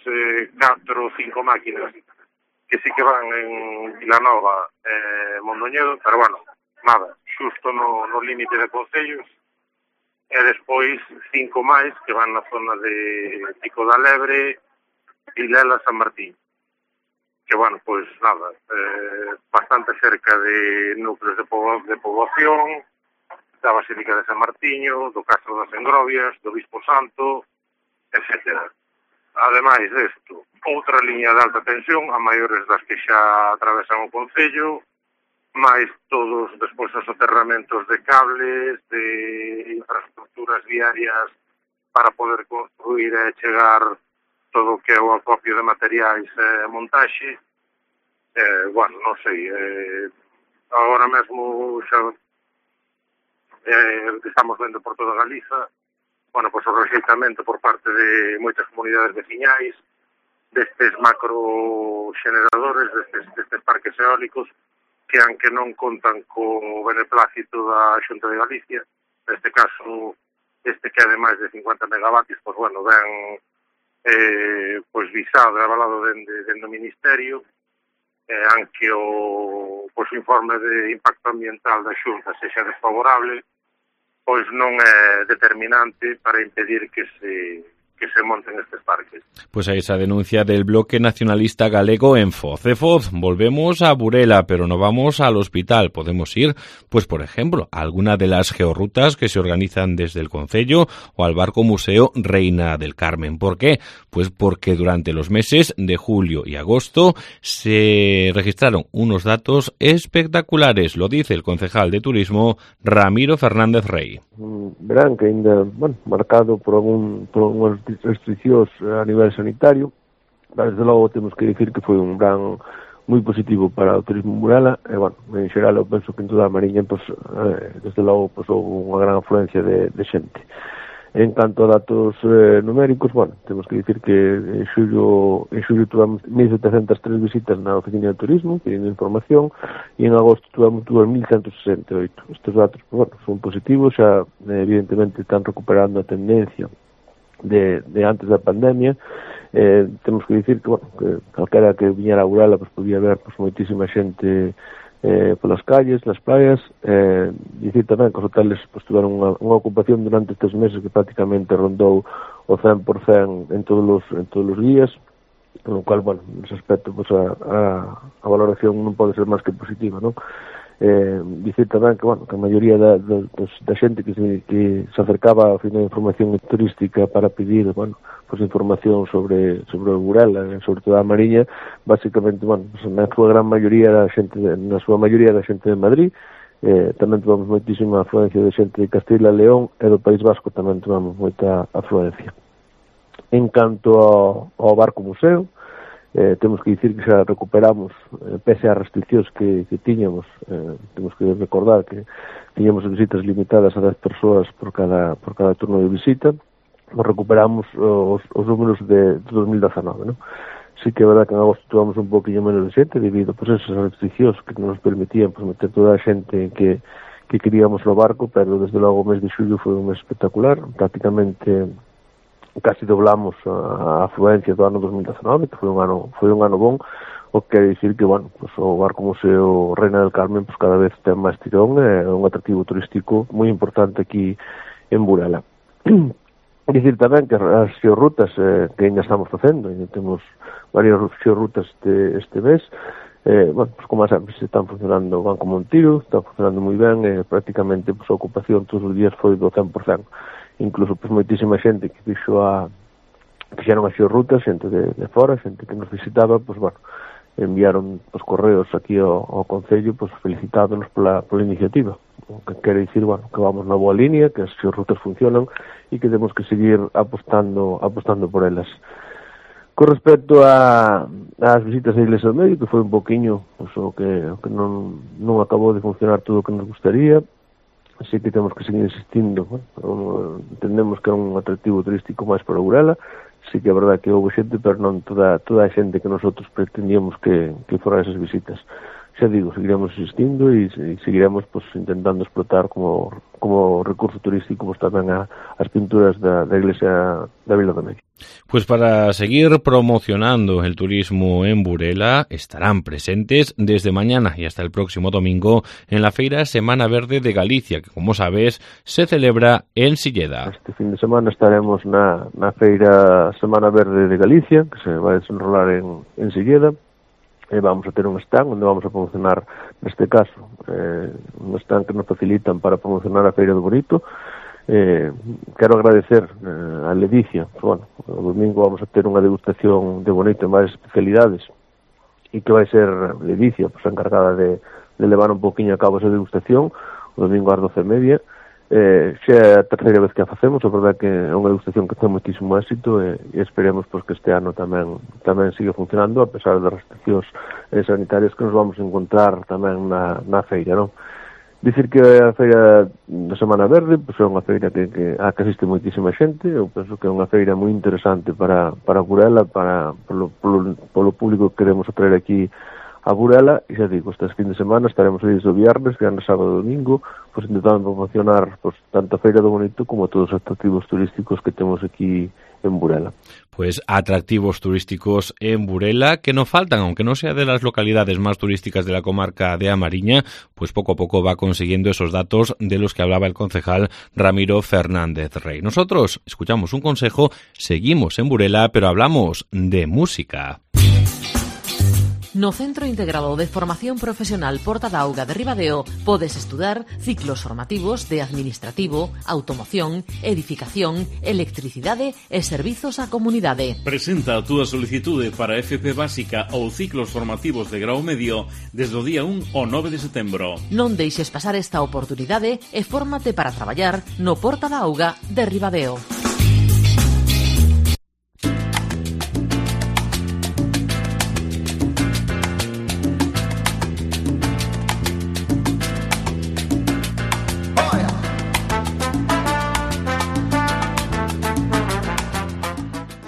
4 ou 5 máquinas que sí que van en Vilanova e Mondoñedo, pero bueno, nada, xusto no límite de concellos, e despois 5 máis que van na zona de Pico da Lebre, Vilela, San Martín, que bueno, pois nada, bastante cerca de núcleos de poboación, da Basílica de San Martiño, do Castro das Engrovias, do Bispo Santo, etcétera. Ademais desto, outra liña de alta tensión, a maiores das que xa atravesan o concello, máis todos despois os soterramentos de cables, de infraestructuras viarias para poder construir e chegar todo o que é o acopio de materiais e montaxe. Bueno, non sei, agora mesmo xa estamos vendo por toda Galiza, bueno, pois o rexeitamento por parte de moitas comunidades veciñais destes macroxeneradores, destes parques eólicos que aunque non contan co beneplácito da Xunta de Galicia, neste caso, este que é de máis de 50 megavatios, pois, bueno, ben pois visado e avalado dentro do Ministerio, aunque o informe de impacto ambiental da Xunta sexa desfavorable, pois non é determinante para impedir que se monten estes parques. Pues a esa denuncia del bloque nacionalista galego en Foz. De Foz volvemos a Burela, pero no vamos al hospital. Podemos ir, pues por ejemplo, a alguna de las georrutas que se organizan desde el concello o al barco museo Reina del Carmen. ¿Por qué? Pues porque durante los meses de julio y agosto se registraron unos datos espectaculares. Lo dice el concejal de turismo Ramiro Fernández Rey. Verán que ainda, marcado por algunhas restriccións a nivel sanitario, desde logo temos que dicir que foi un verán moi positivo para o turismo en Burela, e, en xeral eu penso que en toda a Mariña, desde logo, houve unha gran afluencia de xente. En canto a datos numéricos, temos que dicir que en xullo tuvamos 1.703 visitas na oficina de turismo, pedindo información, e en agosto tuvamos 2.168. Estes datos, son positivos, xa evidentemente están recuperando a tendencia de antes da pandemia. Temos que dicir que calquera que viñera a Burela podía ver moitísima xente polas calles, nas praias. Dicir tamén que os hoteles tiveron unha ocupación durante estes meses que prácticamente rondou o 100% en todos os días, con o cual, nese aspecto, a valoración non pode ser máis que positiva, non? Dicir tamén que a maioría da xente que se acercaba ao final de información turística para pedir información sobre Burela, sobre toda a Mariña, basicamente, na súa gran maioría da xente de Madrid. Tamén tivemos moitísima afluencia de xente de Castilla e León, e do País Vasco tamén tivemos moita afluencia. En canto ao barco museo, temos que dicir que xa recuperamos, pese ás restriccións que tiñamos. Temos que recordar que tiñamos visitas limitadas a 10 persoas por cada turno de visita. Recuperamos os números de 2019, non? Sí que é verdad que en agosto tuvamos un poquinho menos de xente debido a esas restriccións que nos permitían meter toda a xente que queríamos no barco, pero desde logo o mes de xullo foi un mes espectacular. Prácticamente casi doblamos a afluencia do ano 2019, que foi un ano bon, o que quere dicir que, o barco museo Reina del Carmen cada vez ten máis tirón, é un atractivo turístico moi importante aquí en Burela. Dicir tamén que as xeorrutas que ainda estamos facendo, ainda temos varias xeorrutas este mes, como sempre, se están funcionando, van como un tiro, están funcionando moi ben, prácticamente a ocupación todos os días foi do 100%. Incluso moitísima xente que fixeron as xeorrutas, xente de fora, xente que nos visitaba, enviaron os correos aquí ao Concello felicitándonos pola iniciativa, o que quere dicir que vamos na boa línea, que as xeorrutas funcionan e que temos que seguir apostando por elas. Con respecto ás visitas á Iglesia do Medio, que foi un poquinho o que non acabou de funcionar todo o que nos gustaría, así que temos que seguir insistindo. Entendemos que é un atractivo turístico máis para Burela. Sí que é verdade que houve xente, pero non toda a xente que nosotros pretendíamos que fora esas visitas. Xa digo, seguiremos insistindo e seguiremos intentando explotar como recurso turístico tamén as pinturas da iglesia da Vila do Medio. Pues para seguir promocionando el turismo en Burela, estarán presentes desde mañana y hasta el próximo domingo en la Feira Semana Verde de Galicia, que, como sabes, se celebra en Silleda. Este fin de semana estaremos na Feira Semana Verde de Galicia, que se vai desenrolar en Silleda. Vamos a ter un stand onde vamos a promocionar, neste caso, un stand que nos facilitan para promocionar a Feira do Bonito. Quero agradecer a Ledicia. O domingo vamos a ter unha degustación de Bonito en varias especialidades e que vai ser Ledicia a encargada de levar un poquinho a cabo esa degustación o domingo ás 12:30. Xa é a terceira vez que a facemos, é verdade que é unha degustación que ten moitísimo éxito e esperemos que este ano tamén siga funcionando a pesar das restriccións sanitarias que nos vamos a encontrar tamén na feira, non? Dicir que a feira da Semana Verde é unha feira que asiste moitísima xente. Eu penso que é unha feira moi interesante para Burela, polo público que queremos atraer aquí a Burela, e xa digo, este fin de semana estaremos aí do viernes, sábado e domingo, pois intentando promocionar pois, tanto a Feira do Bonito como todos os atractivos turísticos que temos aquí en Burela. Pues atractivos turísticos en Burela que no faltan, aunque no sea de las localidades más turísticas de la comarca de A Mariña, pues poco a poco va consiguiendo esos datos de los que hablaba el concejal Ramiro Fernández Rey. Nosotros escuchamos un consejo, seguimos en Burela, pero hablamos de música. No Centro Integrado de Formación Profesional Porta da Auga de Ribadeo podes estudar ciclos formativos de Administrativo, Automoción, Edificación, Electricidade e Servizos á Comunidade. Presenta a túa solicitude para FP básica ou ciclos formativos de grau medio desde o día 1 ao 9 de setembro. Non deixes pasar esta oportunidade e fórmate para traballar no Porta da Auga de Ribadeo.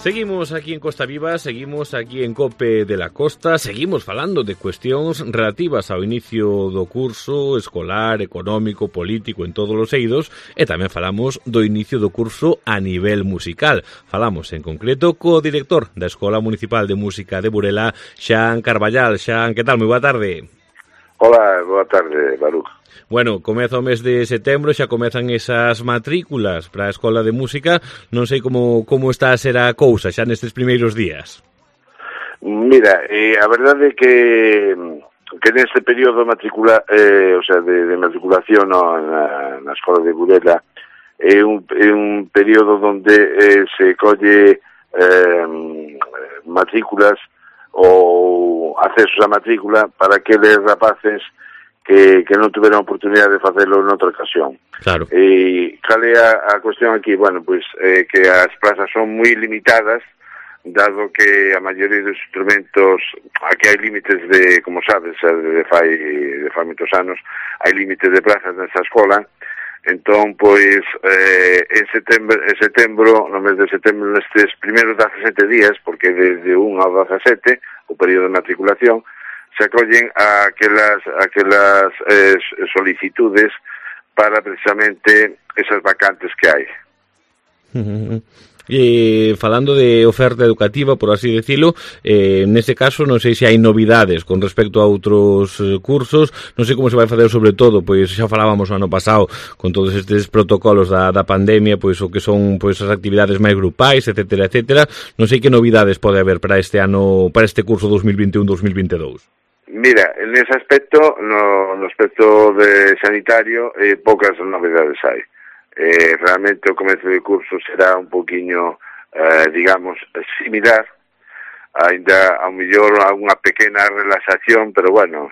Seguimos aquí en Costa Viva, seguimos aquí en Cope de la Costa, seguimos falando de cuestións relativas ao inicio do curso escolar, económico, político en todos os eidos e tamén falamos do inicio do curso a nivel musical. Falamos en concreto co director da Escola Municipal de Música de Burela, Xan Carballal. Xan, que tal? Moi boa tarde. Hola, boa tarde, Baruch. Bueno, comeza o mes de setembro, xa comezan esas matrículas para a Escola de Música. Non sei como está a ser a cousa xa nestes primeiros días. Mira, a verdade é que neste período de matriculación na Escola de Burela é un período onde se colle matrículas ou accesos a matrícula para aqueles rapaces que non tuveron oportunidade de facelo noutra ocasión. Claro. E cal é a cuestión aquí? Bueno, pois que as plazas son moi limitadas, dado que a maioría dos instrumentos, aquí hai límites de, como sabes, de fai moitos anos, hai límites de plazas nesta escola. Entón, pois, en setembro, no mes de setembro, nestes primeiros 17 días, porque desde 1 ao 17, o período de matriculación, se acollen a aquelas solicitudes para precisamente esas vacantes que hai. Falando de oferta educativa, por así decirlo, neste caso non sei se hai novidades con respecto a outros cursos, non sei como se vai facer sobre todo, pois xa falábamos o ano pasado con todos estes protocolos da pandemia, pois o que son pois as actividades máis grupais, etcétera, etcétera. Non sei que novidades pode haber para este ano, para este curso 2021-2022. Mira, nese aspecto, no aspecto de sanitario, poucas novedades hai. Realmente o comezo de curso será un poquinho, digamos, similar, ainda ao mellor unha pequena relaxación, pero bueno,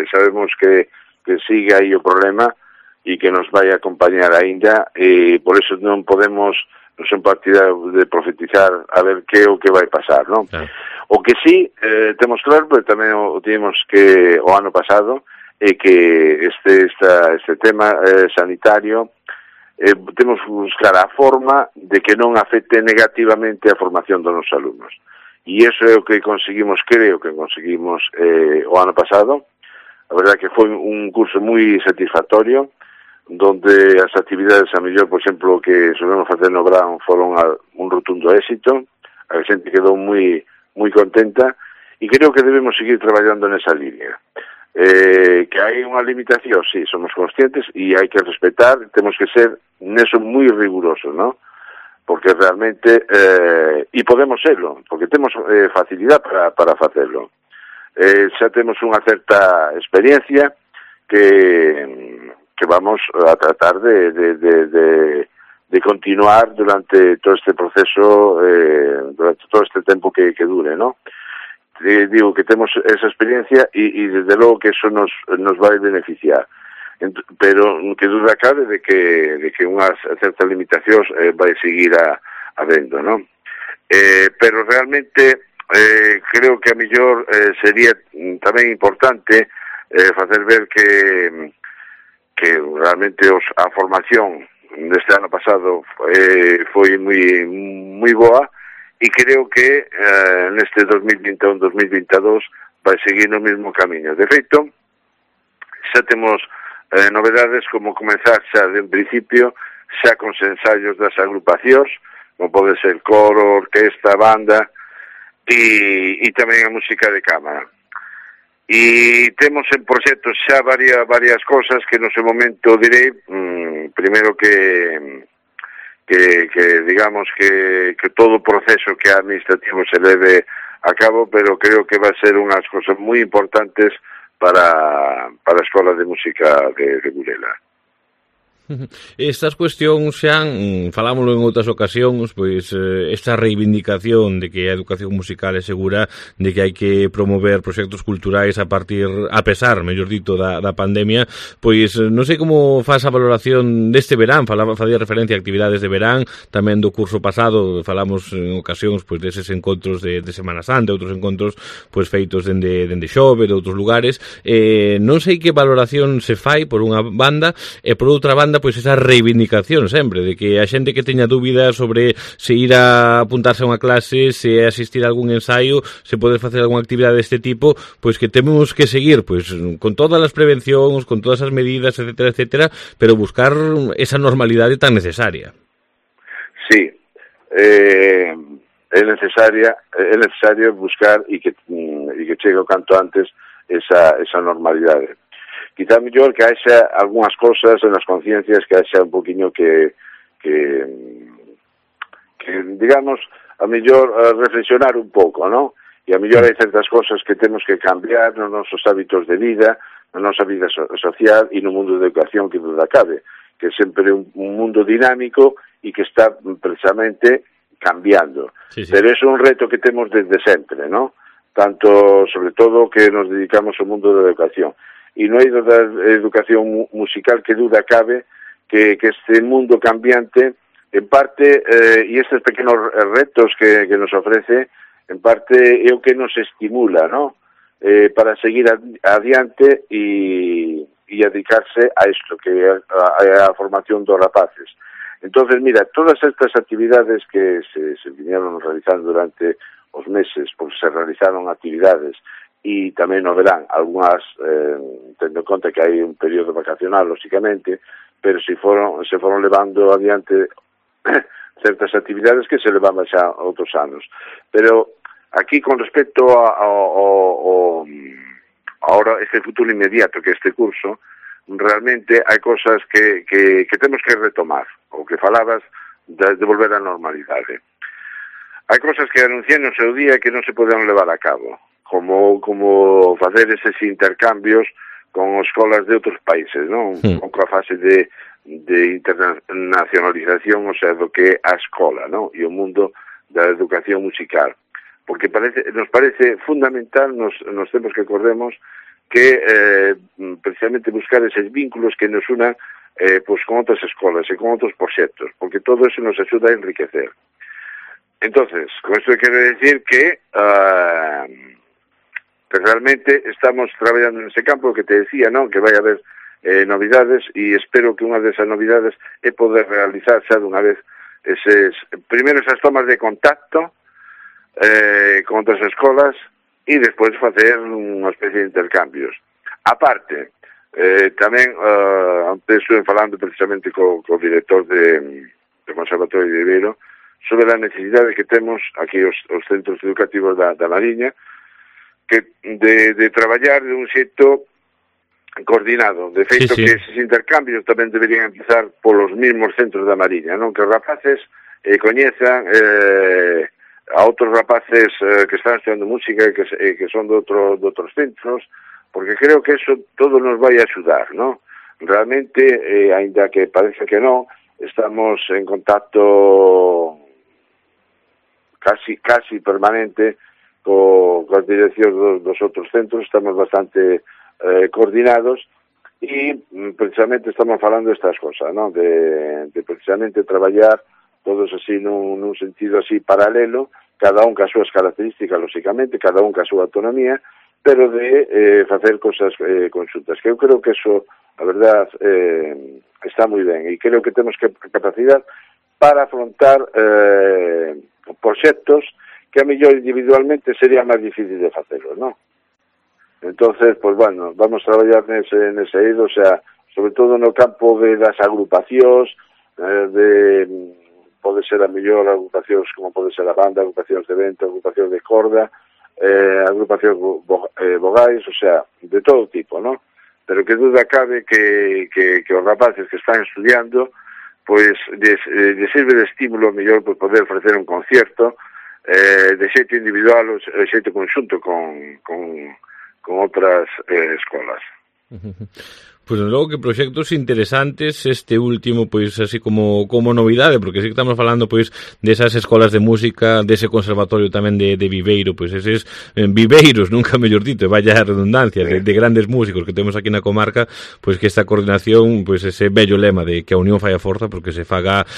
sabemos que sigue aí o problema e que nos vai acompañar aínda, e por eso non son partidario de profetizar a ver que é o que vai pasar, non? Claro. O que sí temos claro, pero tamén o tivemos que o ano pasado, é que este tema sanitario temos que buscar a forma de que non afecte negativamente a formación dos nosos alumnos. E iso é o que creo que conseguimos o ano pasado. A verdade que foi un curso moi satisfactorio, donde as actividades a mellor, por exemplo, que solemos facer no verán foron un rotundo éxito, a xente quedou moi contenta, e creo que debemos seguir traballando nesa línea. Que hai unha limitación, sí, somos conscientes e hai que respetar, temos que ser neso moi rigurosos, ¿no? Porque realmente, e podemos serlo, porque temos facilidade para facelo. Xa temos unha certa experiencia que vamos a tratar de continuar durante todo este proceso, durante todo este tempo que dure, ¿no? Digo que temos esa experiencia e desde logo que eso nos vai beneficiar, pero que duda cabe de que unhas certas limitacións vai seguir habendo, non? Pero realmente creo que a mellor sería tamén importante facer ver que realmente a formación deste ano pasado foi moi boa, e creo que neste 2021-2022 vai seguir no mesmo camiño. De feito, xa temos novedades como comenzar xa de un principio xa con ensaios das agrupacións, como pode ser coro, orquesta, banda e tamén a música de cámara. E temos en proxectos xa varias cosas que no seu momento direi, primeiro que digamos que todo o proceso que administrativo se leve a cabo, pero creo que va a ser unhas cosas moi importantes para a Escola de Música de Burela. Estas cuestións xa falámoslo en outras ocasións, pois esta reivindicación de que a educación musical é segura, de que hai que promover proxectos culturais a pesar, mellor dito, da pandemia, pois non sei como faz a valoración deste verán. Facía referencia a actividades de verán, tamén do curso pasado falamos en ocasións pois deses encontros de Semana Santa, outros encontros pois feitos dende Xove, de outros lugares. Non sei que valoración se fai por unha banda, e por outra banda pois esa reivindicación sempre de que a xente que teña dúbidas sobre se ir a apuntarse a unha clase, se asistir a algún ensaio, se poder facer algunha actividade deste tipo, pois que temos que seguir pois con todas as prevencións, con todas as medidas, etcétera, etcétera, pero buscar esa normalidade tan necesaria. Sí, é necesario buscar e que chegue o canto antes esa normalidade. Quizá mellor que haxa algunhas cosas en as conciencias que haxa un poquinho que digamos, a mellor reflexionar un pouco, non? E a mellor hai certas cosas que temos que cambiar nos nosos hábitos de vida, na nosa vida social e no mundo de educación que duda cabe, que é sempre un mundo dinámico e que está precisamente cambiando. Sí. Pero é un reto que temos desde sempre, non? Tanto, sobre todo, que nos dedicamos ao mundo da educación. E no eido da educación musical que duda cabe que este mundo cambiante, en parte, e estes pequenos retos que nos ofrece, en parte é o que nos estimula, ¿no? Para seguir adiante e dedicarse a isto, que é a formación dos rapaces. Entonces, mira, todas estas actividades que se vinieron realizando durante os meses, porque se realizaron actividades e tamén no verán, algunhas, tendo en conta que hai un período vacacional, lógicamente, pero se foron levando adiante certas actividades que se levaban xa outros anos. Pero aquí, con respecto ahora este futuro inmediato que este curso, realmente hai cosas que temos que retomar, o que falabas de volver á normalidade. Hai cosas que anunciei no seu día que non se poden levar a cabo, como facer eses intercambios con escolas de outros países, non? Con a fase de internacionalización, o sea, do que é a escola, non? E o mundo da educación musical. Porque nos parece fundamental nos tempos que acordemos que precisamente buscar eses vínculos que nos unan pois con outras escolas e con outros proxectos, porque todo eso nos axuda a enriquecer. Entonces, con esto quero decir que realmente estamos traballando en ese campo que te decía, ¿no? Que vai haber novidades e espero que unha desas novidades é poder realizar xa dunha vez primeiro esas tomas de contacto con outras escolas e despois facer unha especie de intercambios. Aparte, tamén antes estuve falando precisamente co director do Conservatorio de Viveiro sobre a necesidade que temos aquí os centros educativos da Mariña de traballar de un xeito coordinado. De feito, que eses intercambios tamén deberían empezar polos mismos centros da Mariña, non? Que os rapaces coñezan a outros rapaces que están estudiando música e que son de outros centros, porque creo que eso todo nos vai a axudar, non? Realmente, aínda que parece que non, estamos en contacto casi permanente coas direccións dos outros centros, estamos bastante coordinados e precisamente estamos falando destas cosas, ¿no? De precisamente traballar todos así nun sentido así paralelo, cada un ca súas características, lógicamente, cada un ca súa autonomía, pero de facer cosas conxuntas, que eu creo que eso, a verdad, está moi ben, e creo que temos capacidade para afrontar proxectos que a mellor individualmente sería máis difícil de facelo, non? Entonces, pues bueno, vamos a traballar nese eido, o sea, sobre todo no campo das agrupacións, pode ser a mellor agrupacións como pode ser a banda, agrupacións de vento, agrupacións de corda, agrupacións vogais, o sea, de todo tipo, ¿no? Pero que duda cabe que os rapaces que están estudiando, pois les sirve de estímulo mellor por poder ofrecer un concierto de xeito individual ou xeito conxunto con outras escolas. Pois logo que proxectos interesantes este último, pois así como novidade, porque sí que estamos falando pois desas escolas de música, dese conservatorio tamén de Viveiro, pois eses viveiros, nunca mellor dito, vaya redundancia, de grandes músicos que temos aquí na comarca, pois que esta coordinación, pois ese bello lema de que a unión fai a forza, porque se faga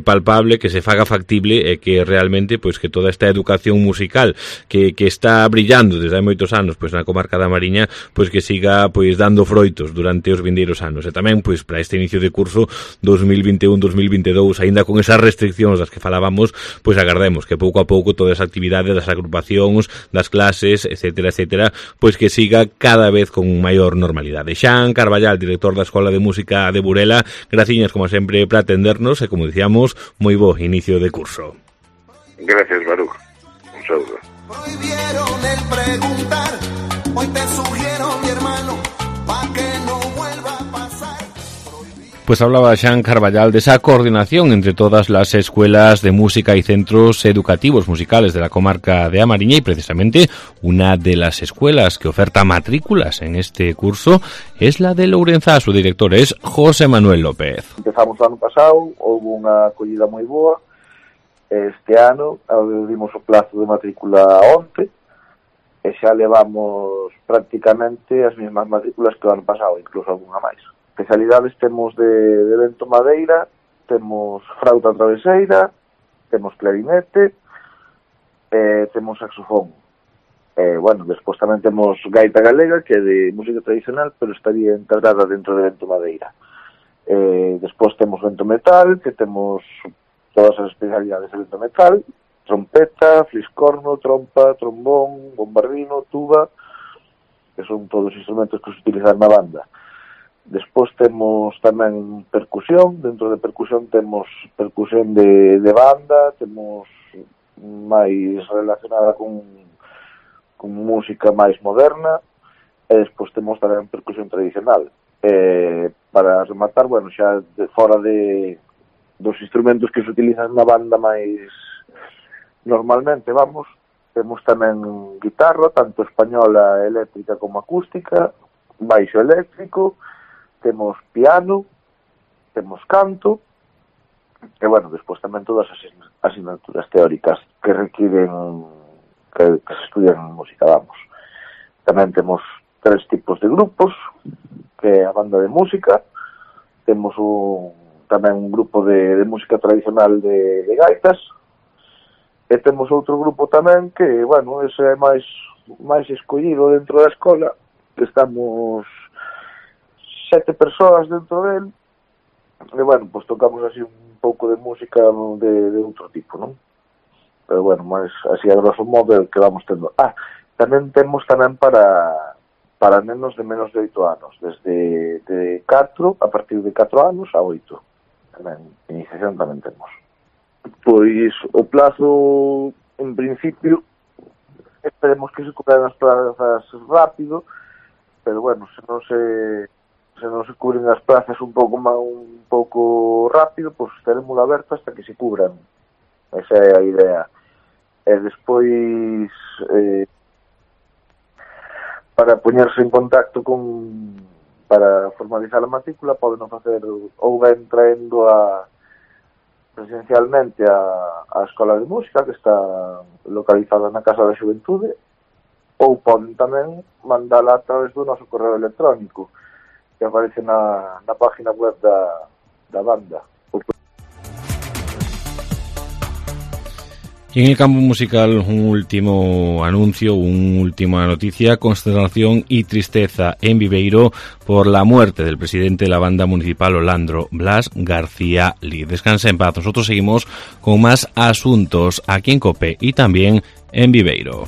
palpable, que se faga factible e que realmente pois que toda esta educación musical que está brillando desde hai moitos anos pois na comarca da Mariña, pois que siga pois dando froitos durante os vindeiros anos. E tamén, pois, para este inicio de curso 2021-2022, aínda con esas restriccións das que falábamos, pois agardemos que pouco a pouco toda esa actividade das agrupacións, das clases, etcétera, pois que siga cada vez con maior normalidade. Xan Carballal, director da Escola de Música de Burela, graciñas, como sempre, para atendernos e, como dicíamos, moi bo inicio de curso. Gracias, Baruch. Un saludo. Prohibieron el preguntar, hoy te sugiero, mi hermano, pa' que no vuelva a pasar. Pues hablaba Xan Carballal de esa coordinación entre todas las escuelas de música y centros educativos musicales de la comarca de A Mariña, y precisamente una de las escuelas que oferta matrículas en este curso es la de Lourenzá. Su director es José Manuel López. Empezamos o ano pasado, houve unha acollida moi boa. Este ano abrimos o plazo de matrícula onte e xa levamos prácticamente as mesmas matrículas que o ano pasado, incluso algunha máis. Especialidades temos de vento madeira, temos frauta traveseira, temos clarinete, temos saxofón. Bueno, despois tamén temos gaita galega, que é de música tradicional, pero estaría integrada dentro de vento madeira. Despois temos vento metal, que temos todas as especialidades de vento metal, trompeta, fliscorno, trompa, trombón, bombardino, tuba, que son todos os instrumentos que se utilizan na banda. Despois temos tamén percusión, dentro de percusión temos percusión de banda, temos máis relacionada con música máis moderna, e despois temos tamén percusión tradicional. Para rematar, bueno, xa fora dos instrumentos que se utilizan na banda máis normalmente, vamos, temos tamén guitarra, tanto española, eléctrica como acústica, baixo eléctrico, temos piano, temos canto, e, bueno, despois tamén todas as asignaturas teóricas que requiren que se estudian en música, vamos. Tamén temos 3 tipos de grupos, que é a banda de música, temos tamén un grupo de música tradicional de gaitas, e temos outro grupo tamén que, bueno, ese é máis escollido dentro da escola, que estamos 7 persoas dentro del, e, bueno, pois tocamos así un pouco de música de outro tipo, non? Pero, bueno, máis así a grosso modo que vamos tendo. Tamén temos tamén para nenos de menos de 8 anos, desde de 4, a partir de 4 anos a 8. Tamén, iniciación tamén temos. Pois o plazo, en principio, esperemos que se cubran as plazas rápido, pero, bueno, se non se cubren as plazas un pouco rápido, pois estaremos abertos hasta que se cubran. Esa é a idea. E despois, para poñerse en contacto para formalizar a matrícula, poden facer ou ben traendo presencialmente a Escola de Música, que está localizada na Casa da Xuventude, ou poden tamén mandala a través do noso correo electrónico, que aparece na página web da banda. Y en el campo musical, un último anuncio, una última noticia: consternación y tristeza en Viveiro por la muerte del presidente de la banda municipal Olandro, Blas García Lí. Descansa en paz. Nosotros seguimos con más asuntos aquí en COPE y también en Viveiro.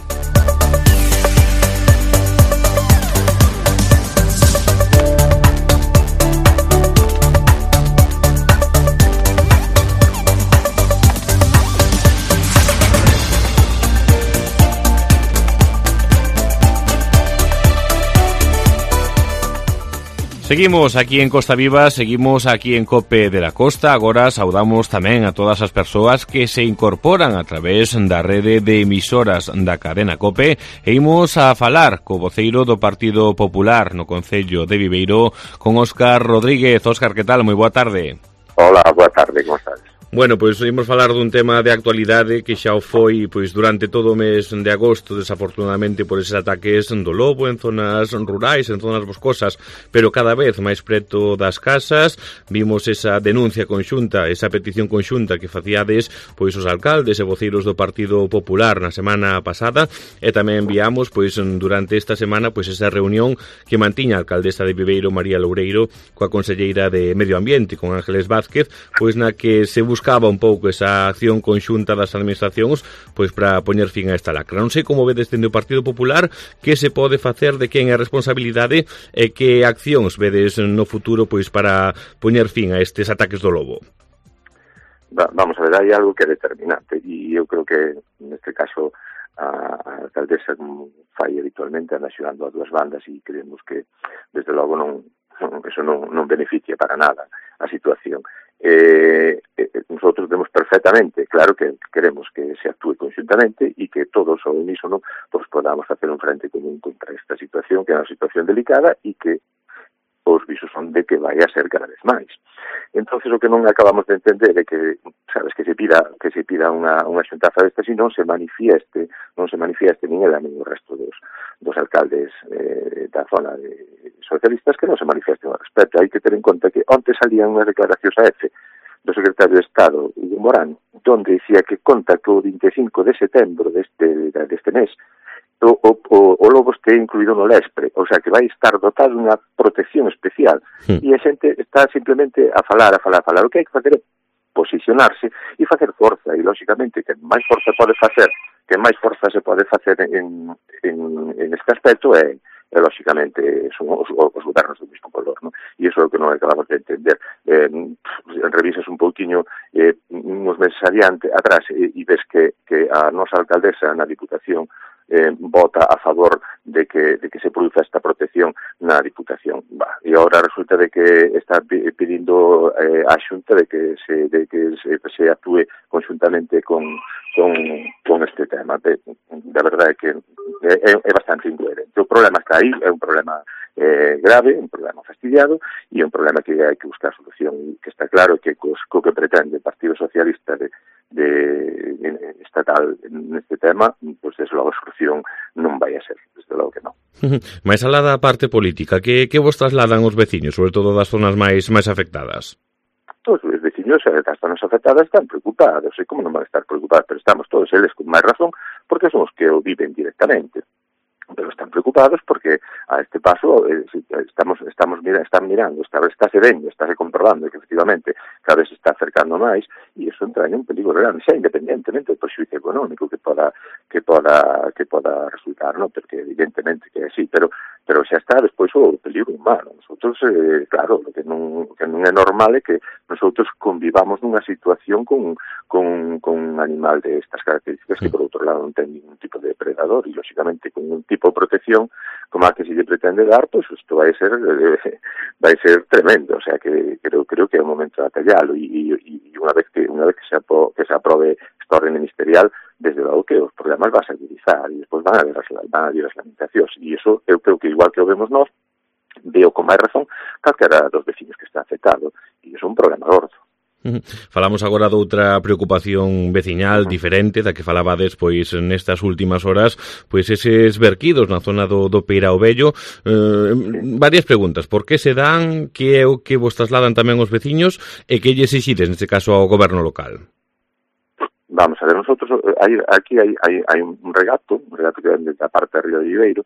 Seguimos aquí en Costa Viva, seguimos aquí en Cope de la Costa. Agora saudamos tamén a todas as persoas que se incorporan a través da rede de emisoras da cadena Cope e imos a falar co voceiro do Partido Popular no Concello de Viveiro con Óscar Rodríguez. Óscar, que tal? Moi boa tarde. Hola, boa tarde, como estás? Bueno, pois imos falar dun tema de actualidade que xa o foi pois durante todo o mes de agosto, desafortunadamente por eses ataques do lobo en zonas rurais, en zonas boscosas, pero cada vez máis preto das casas. Vimos esa denuncia conxunta, esa petición conxunta que facíades pois os alcaldes e voceiros do Partido Popular na semana pasada, e tamén enviamos pois durante esta semana pois esa reunión que mantiña a alcaldesa de Viveiro, María Loureiro, coa conselleira de Medio Ambiente, con Ángeles Vázquez, pois na que se buscaba un pouco esa acción conxunta das administracións pois para poñer fin a esta lacra. Non sei como vedes dende o Partido Popular que se pode facer, de quen é a responsabilidade e que accións vedes no futuro pois para poñer fin a estes ataques do lobo. Vamos a ver, hai algo que é determinante e eu creo que neste caso a alcaldesa fai habitualmente anda xogando a dúas bandas e creemos que desde logo eso non beneficia para nada a situación. Nosotros vemos perfectamente, claro que queremos que se actúe conjuntamente e que todos ao unísono pues podamos hacer un frente común contra esta situación, que é unha situación delicada e que os visos son de que vai a ser cada vez máis. Entonces o que non acabamos de entender é que, sabes, que se pida unha xuntaza desta, se non se manifieste nin ela nin o resto dos alcaldes da zona de socialistas que non se manifiesten ao respecto. Hai que ter en conta que onte salían unhas declaracións a EFE do secretario de Estado, Hugo Morán, donde dicía que conta que o 25 de setembro deste mes o lobo este incluído no Lespre, o sea que vai estar dotado dunha protección especial e a xente está simplemente a falar. O que hai que facer é posicionarse e facer forza, e lógicamente que máis forza se pode facer en este aspecto é lógicamente son os gobernos do mesmo color, ¿no? E iso é o que non acabamos de entender. Revisas un pouquiño uns meses adiante atrás e ves que a nosa alcaldesa na Diputación vota a favor de que se produza esta protección na Diputación. E agora resulta de que está pedindo a Xunta de que se actúe conjuntamente con este tema. Da verdade é que é bastante incoherente. O problema está aí, é un problema grave, un problema fastidiado e un problema que hai que buscar solución, e que está claro que co que pretende o Partido Socialista de estatal neste tema, pois desde logo a solución non vai a ser, desde logo que non. Mais alá da parte política, que vos trasladan os veciños, sobre todo das zonas máis afectadas? Todos os veciños das zonas afectadas están preocupados, e como non van a estar preocupados, pero estamos todos eles con máis razón, porque son os que o viven directamente. Pero están preocupados porque a este paso están mirando, estáse vendo, estáse comprobando que efectivamente cada vez se está acercando máis e iso entra en un peligro grande, xa independentemente do perxuízo económico que poda resultar, ¿no? Porque evidentemente que é así, pero xa está despois o peligro humano. Nosotros, claro, lo que non é normal é que nosotros convivamos nunha situación con un animal de estas características que por outro lado non ten ningún tipo de depredador e lógicamente con un tipo de protección como a que se lle pretende dar, pues isto vai ser tremendo, o sea que creo que é o momento de atallalo e unha vez que se aprobe esta orden ministerial, desde logo que os problemas vas a agudizar e despois van a haber as lamentacións e iso eu creo que igual que o vemos nós, veo con máis razón calquera dos veciños que está afectado e iso é un problema gordo. Falamos agora doutra preocupación veciñal diferente da que falabades pois nestas últimas horas, pois eses verquidos na zona do Peirao Vello. Varias preguntas, por que se dan, que é o que vos trasladan tamén os veciños e que lle exixides neste caso ao goberno local? Vamos a ver, nosotros aquí hai un regato que vende da parte de Río de Viveiro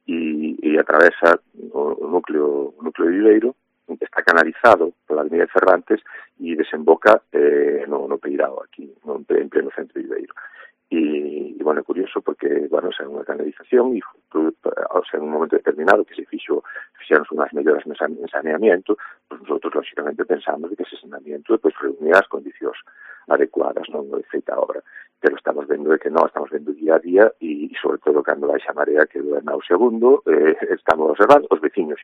e atravesa o núcleo de Viveiro, está canalizado pola Avenida de Cervantes e desemboca no Peirao, aquí, en pleno centro de Viveiro. E bueno, é curioso porque, bueno, xa unha canalización e en un momento determinado que se fixeron unhas melloras en saneamiento, pues nosotros lógicamente pensamos que ese saneamiento pues reunía as condicións adecuadas, non é feita a obra, pero estamos vendo que non, estamos vendo día a día e sobre todo cando baixa a marea que goberna o segundo, estamos observando os veciños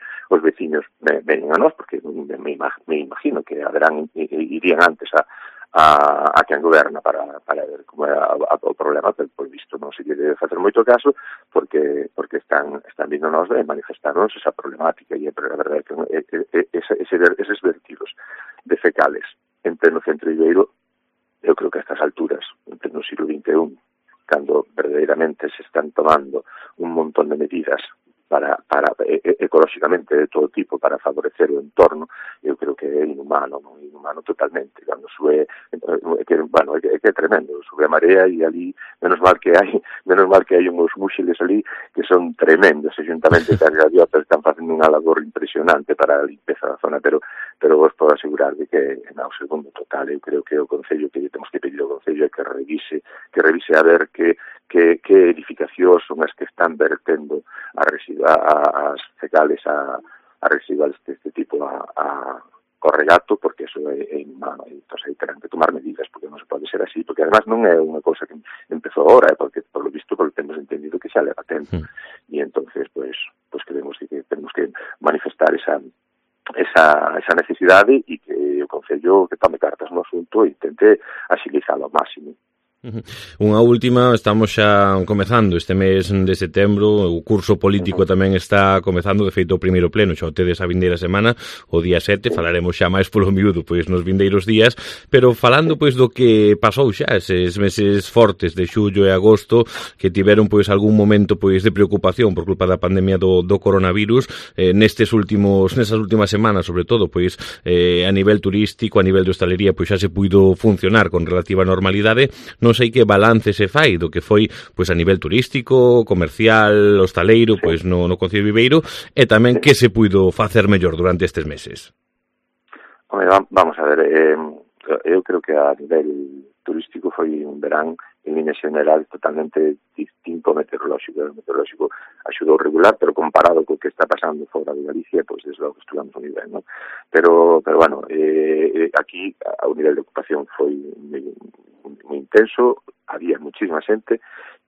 ven a nós porque me imagino que irían antes a quen goberna para ver como é o problema, pero por visto non se debe facer moito caso porque están vindo nós de manifestarnos esa problemática e a verdade é que eses vertidos de fecales en pleno centro de Viveiro, eu creo que a estas alturas, en pleno siglo XXI, cando verdadeiramente se están tomando un montón de medidas para ecolóxicamente de todo tipo para favorecer o entorno, eu creo que é inhumano totalmente, cando sube é tremendo, sube a marea e ali menos mal que hai uns múxiles ali que son tremendos, xuntamente que as gaviotas están facendo unha labor impresionante para a limpeza da zona, pero vos podo asegurar de que o segundo total, eu creo que o Concello que temos que pedir ao Concello é que revise a ver que edificacións son as que están vertendo as fecales a residuales deste tipo a corregato, porque eso é inhumano, entón aí terán que tomar medidas, porque non se pode ser así, porque además non é unha cousa que empezou agora, porque por lo visto temos entendido que xa leva tempo, e entonces pues creemos que temos que manifestar esa necesidade e que o Concello que tome cartas no asunto e intente agilizalo ao máximo. Unha última, estamos xa comezando este mes de setembro, o curso político tamén está comezando, de feito o primeiro pleno xa o tedes a vindeira semana, o día 7, falaremos xa máis polo miúdo pois nos vindeiros días, pero falando pois do que pasou xa eses meses fortes de xullo e agosto que tiveron pois algún momento pois de preocupación por culpa da pandemia do coronavirus, nestas últimas semanas sobre todo pois a nivel turístico, a nivel de hostalería pois xa se puido funcionar con relativa normalidade. Non sei que balance se fai do que foi pois a nivel turístico, comercial, hostaleiro, pois no Concello de Viveiro, e tamén que se puido facer mellor durante estes meses. Vamos a ver, eu creo que a nivel turístico foi un verán en línea general totalmente distinto meteorolóxico. O meteorolóxico axudou regular, pero comparado co que está pasando fora de Galicia, pois desde logo estuvamos a nivel, non? Pero bueno, aquí o nivel de ocupación foi moi intenso, había muchísima xente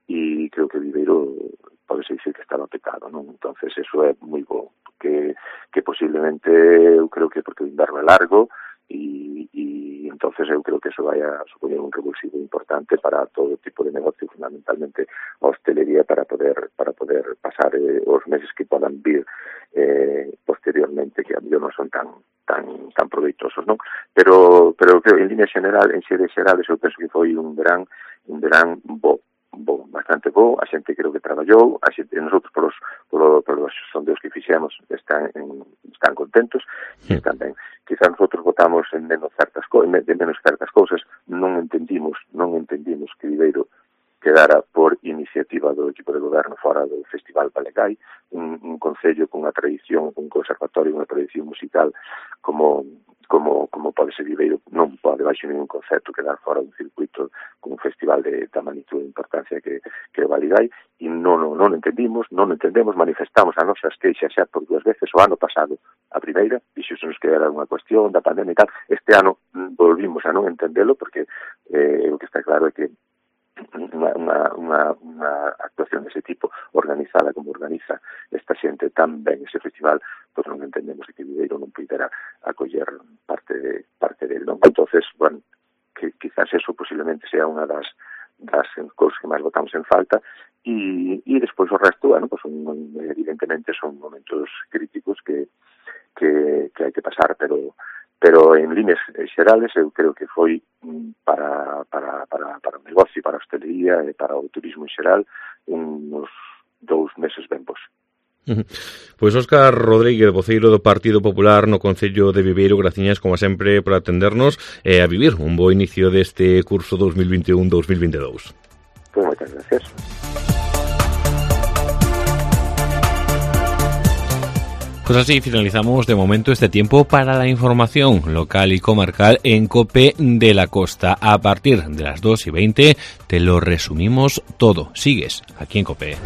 e creo que Viveiro pode dicir que estaba pecado, non? Entonces eso é moi bo, que posiblemente eu creo que porque o inverno é largo e entonces eu creo que eso vai a supoñer un revulsivo importante para todo tipo de negocio, fundamentalmente a hostelería, para poder pasar os meses que podan vir posteriormente, que a mellor non son tan proveitosos, non? Pero creo en línea general, en xeres xerales, eu penso que foi un verán bastante bo, a xente creo que traballou, a xente, nosotros polos sondeos que fixemos están contentos e están ben. Quizá nosotros votamos en menos certas cousas, non entendimos que Viveiro quedara por iniciativa do equipo de goberno fora do Festival Balegai, un concello con unha tradición, un conservatorio, unha tradición musical como pode ser Viveiro, non pode baixo ningún concepto quedar fora dun circuito con un festival de magnitude e importancia que o Balegai, e non entendemos, manifestamos as nosas queixas xa por 2 veces o ano pasado, a primeira, dixémonos que era unha cuestión da pandemia e tal, este ano volvimos a non entendelo porque o que está claro é que unha actuación dese tipo organizada como organiza esta xente tan ben ese festival, pois non entendemos que Viveiro non pudera acoller parte del, non? Entonces, bueno, que quizás eso posiblemente sea unha das cousas que máis botamos en falta e despois o resto, bueno, pues evidentemente son momentos críticos que hai que pasar, pero en líneas xerales eu creo que foi para o negocio, para a hostelería e para o turismo en xeral uns 2 meses ben bons. Pois Óscar Rodríguez, voceiro do Partido Popular no Concello de Viveiro, graciñas como sempre por atendernos e a vivir un bo inicio deste curso 2021-2022. Pois moitas gracias. Pues así finalizamos de momento este tiempo para la información local y comarcal en COPE de la Costa. A partir de las 2:20 te lo resumimos todo. Sigues aquí en COPE.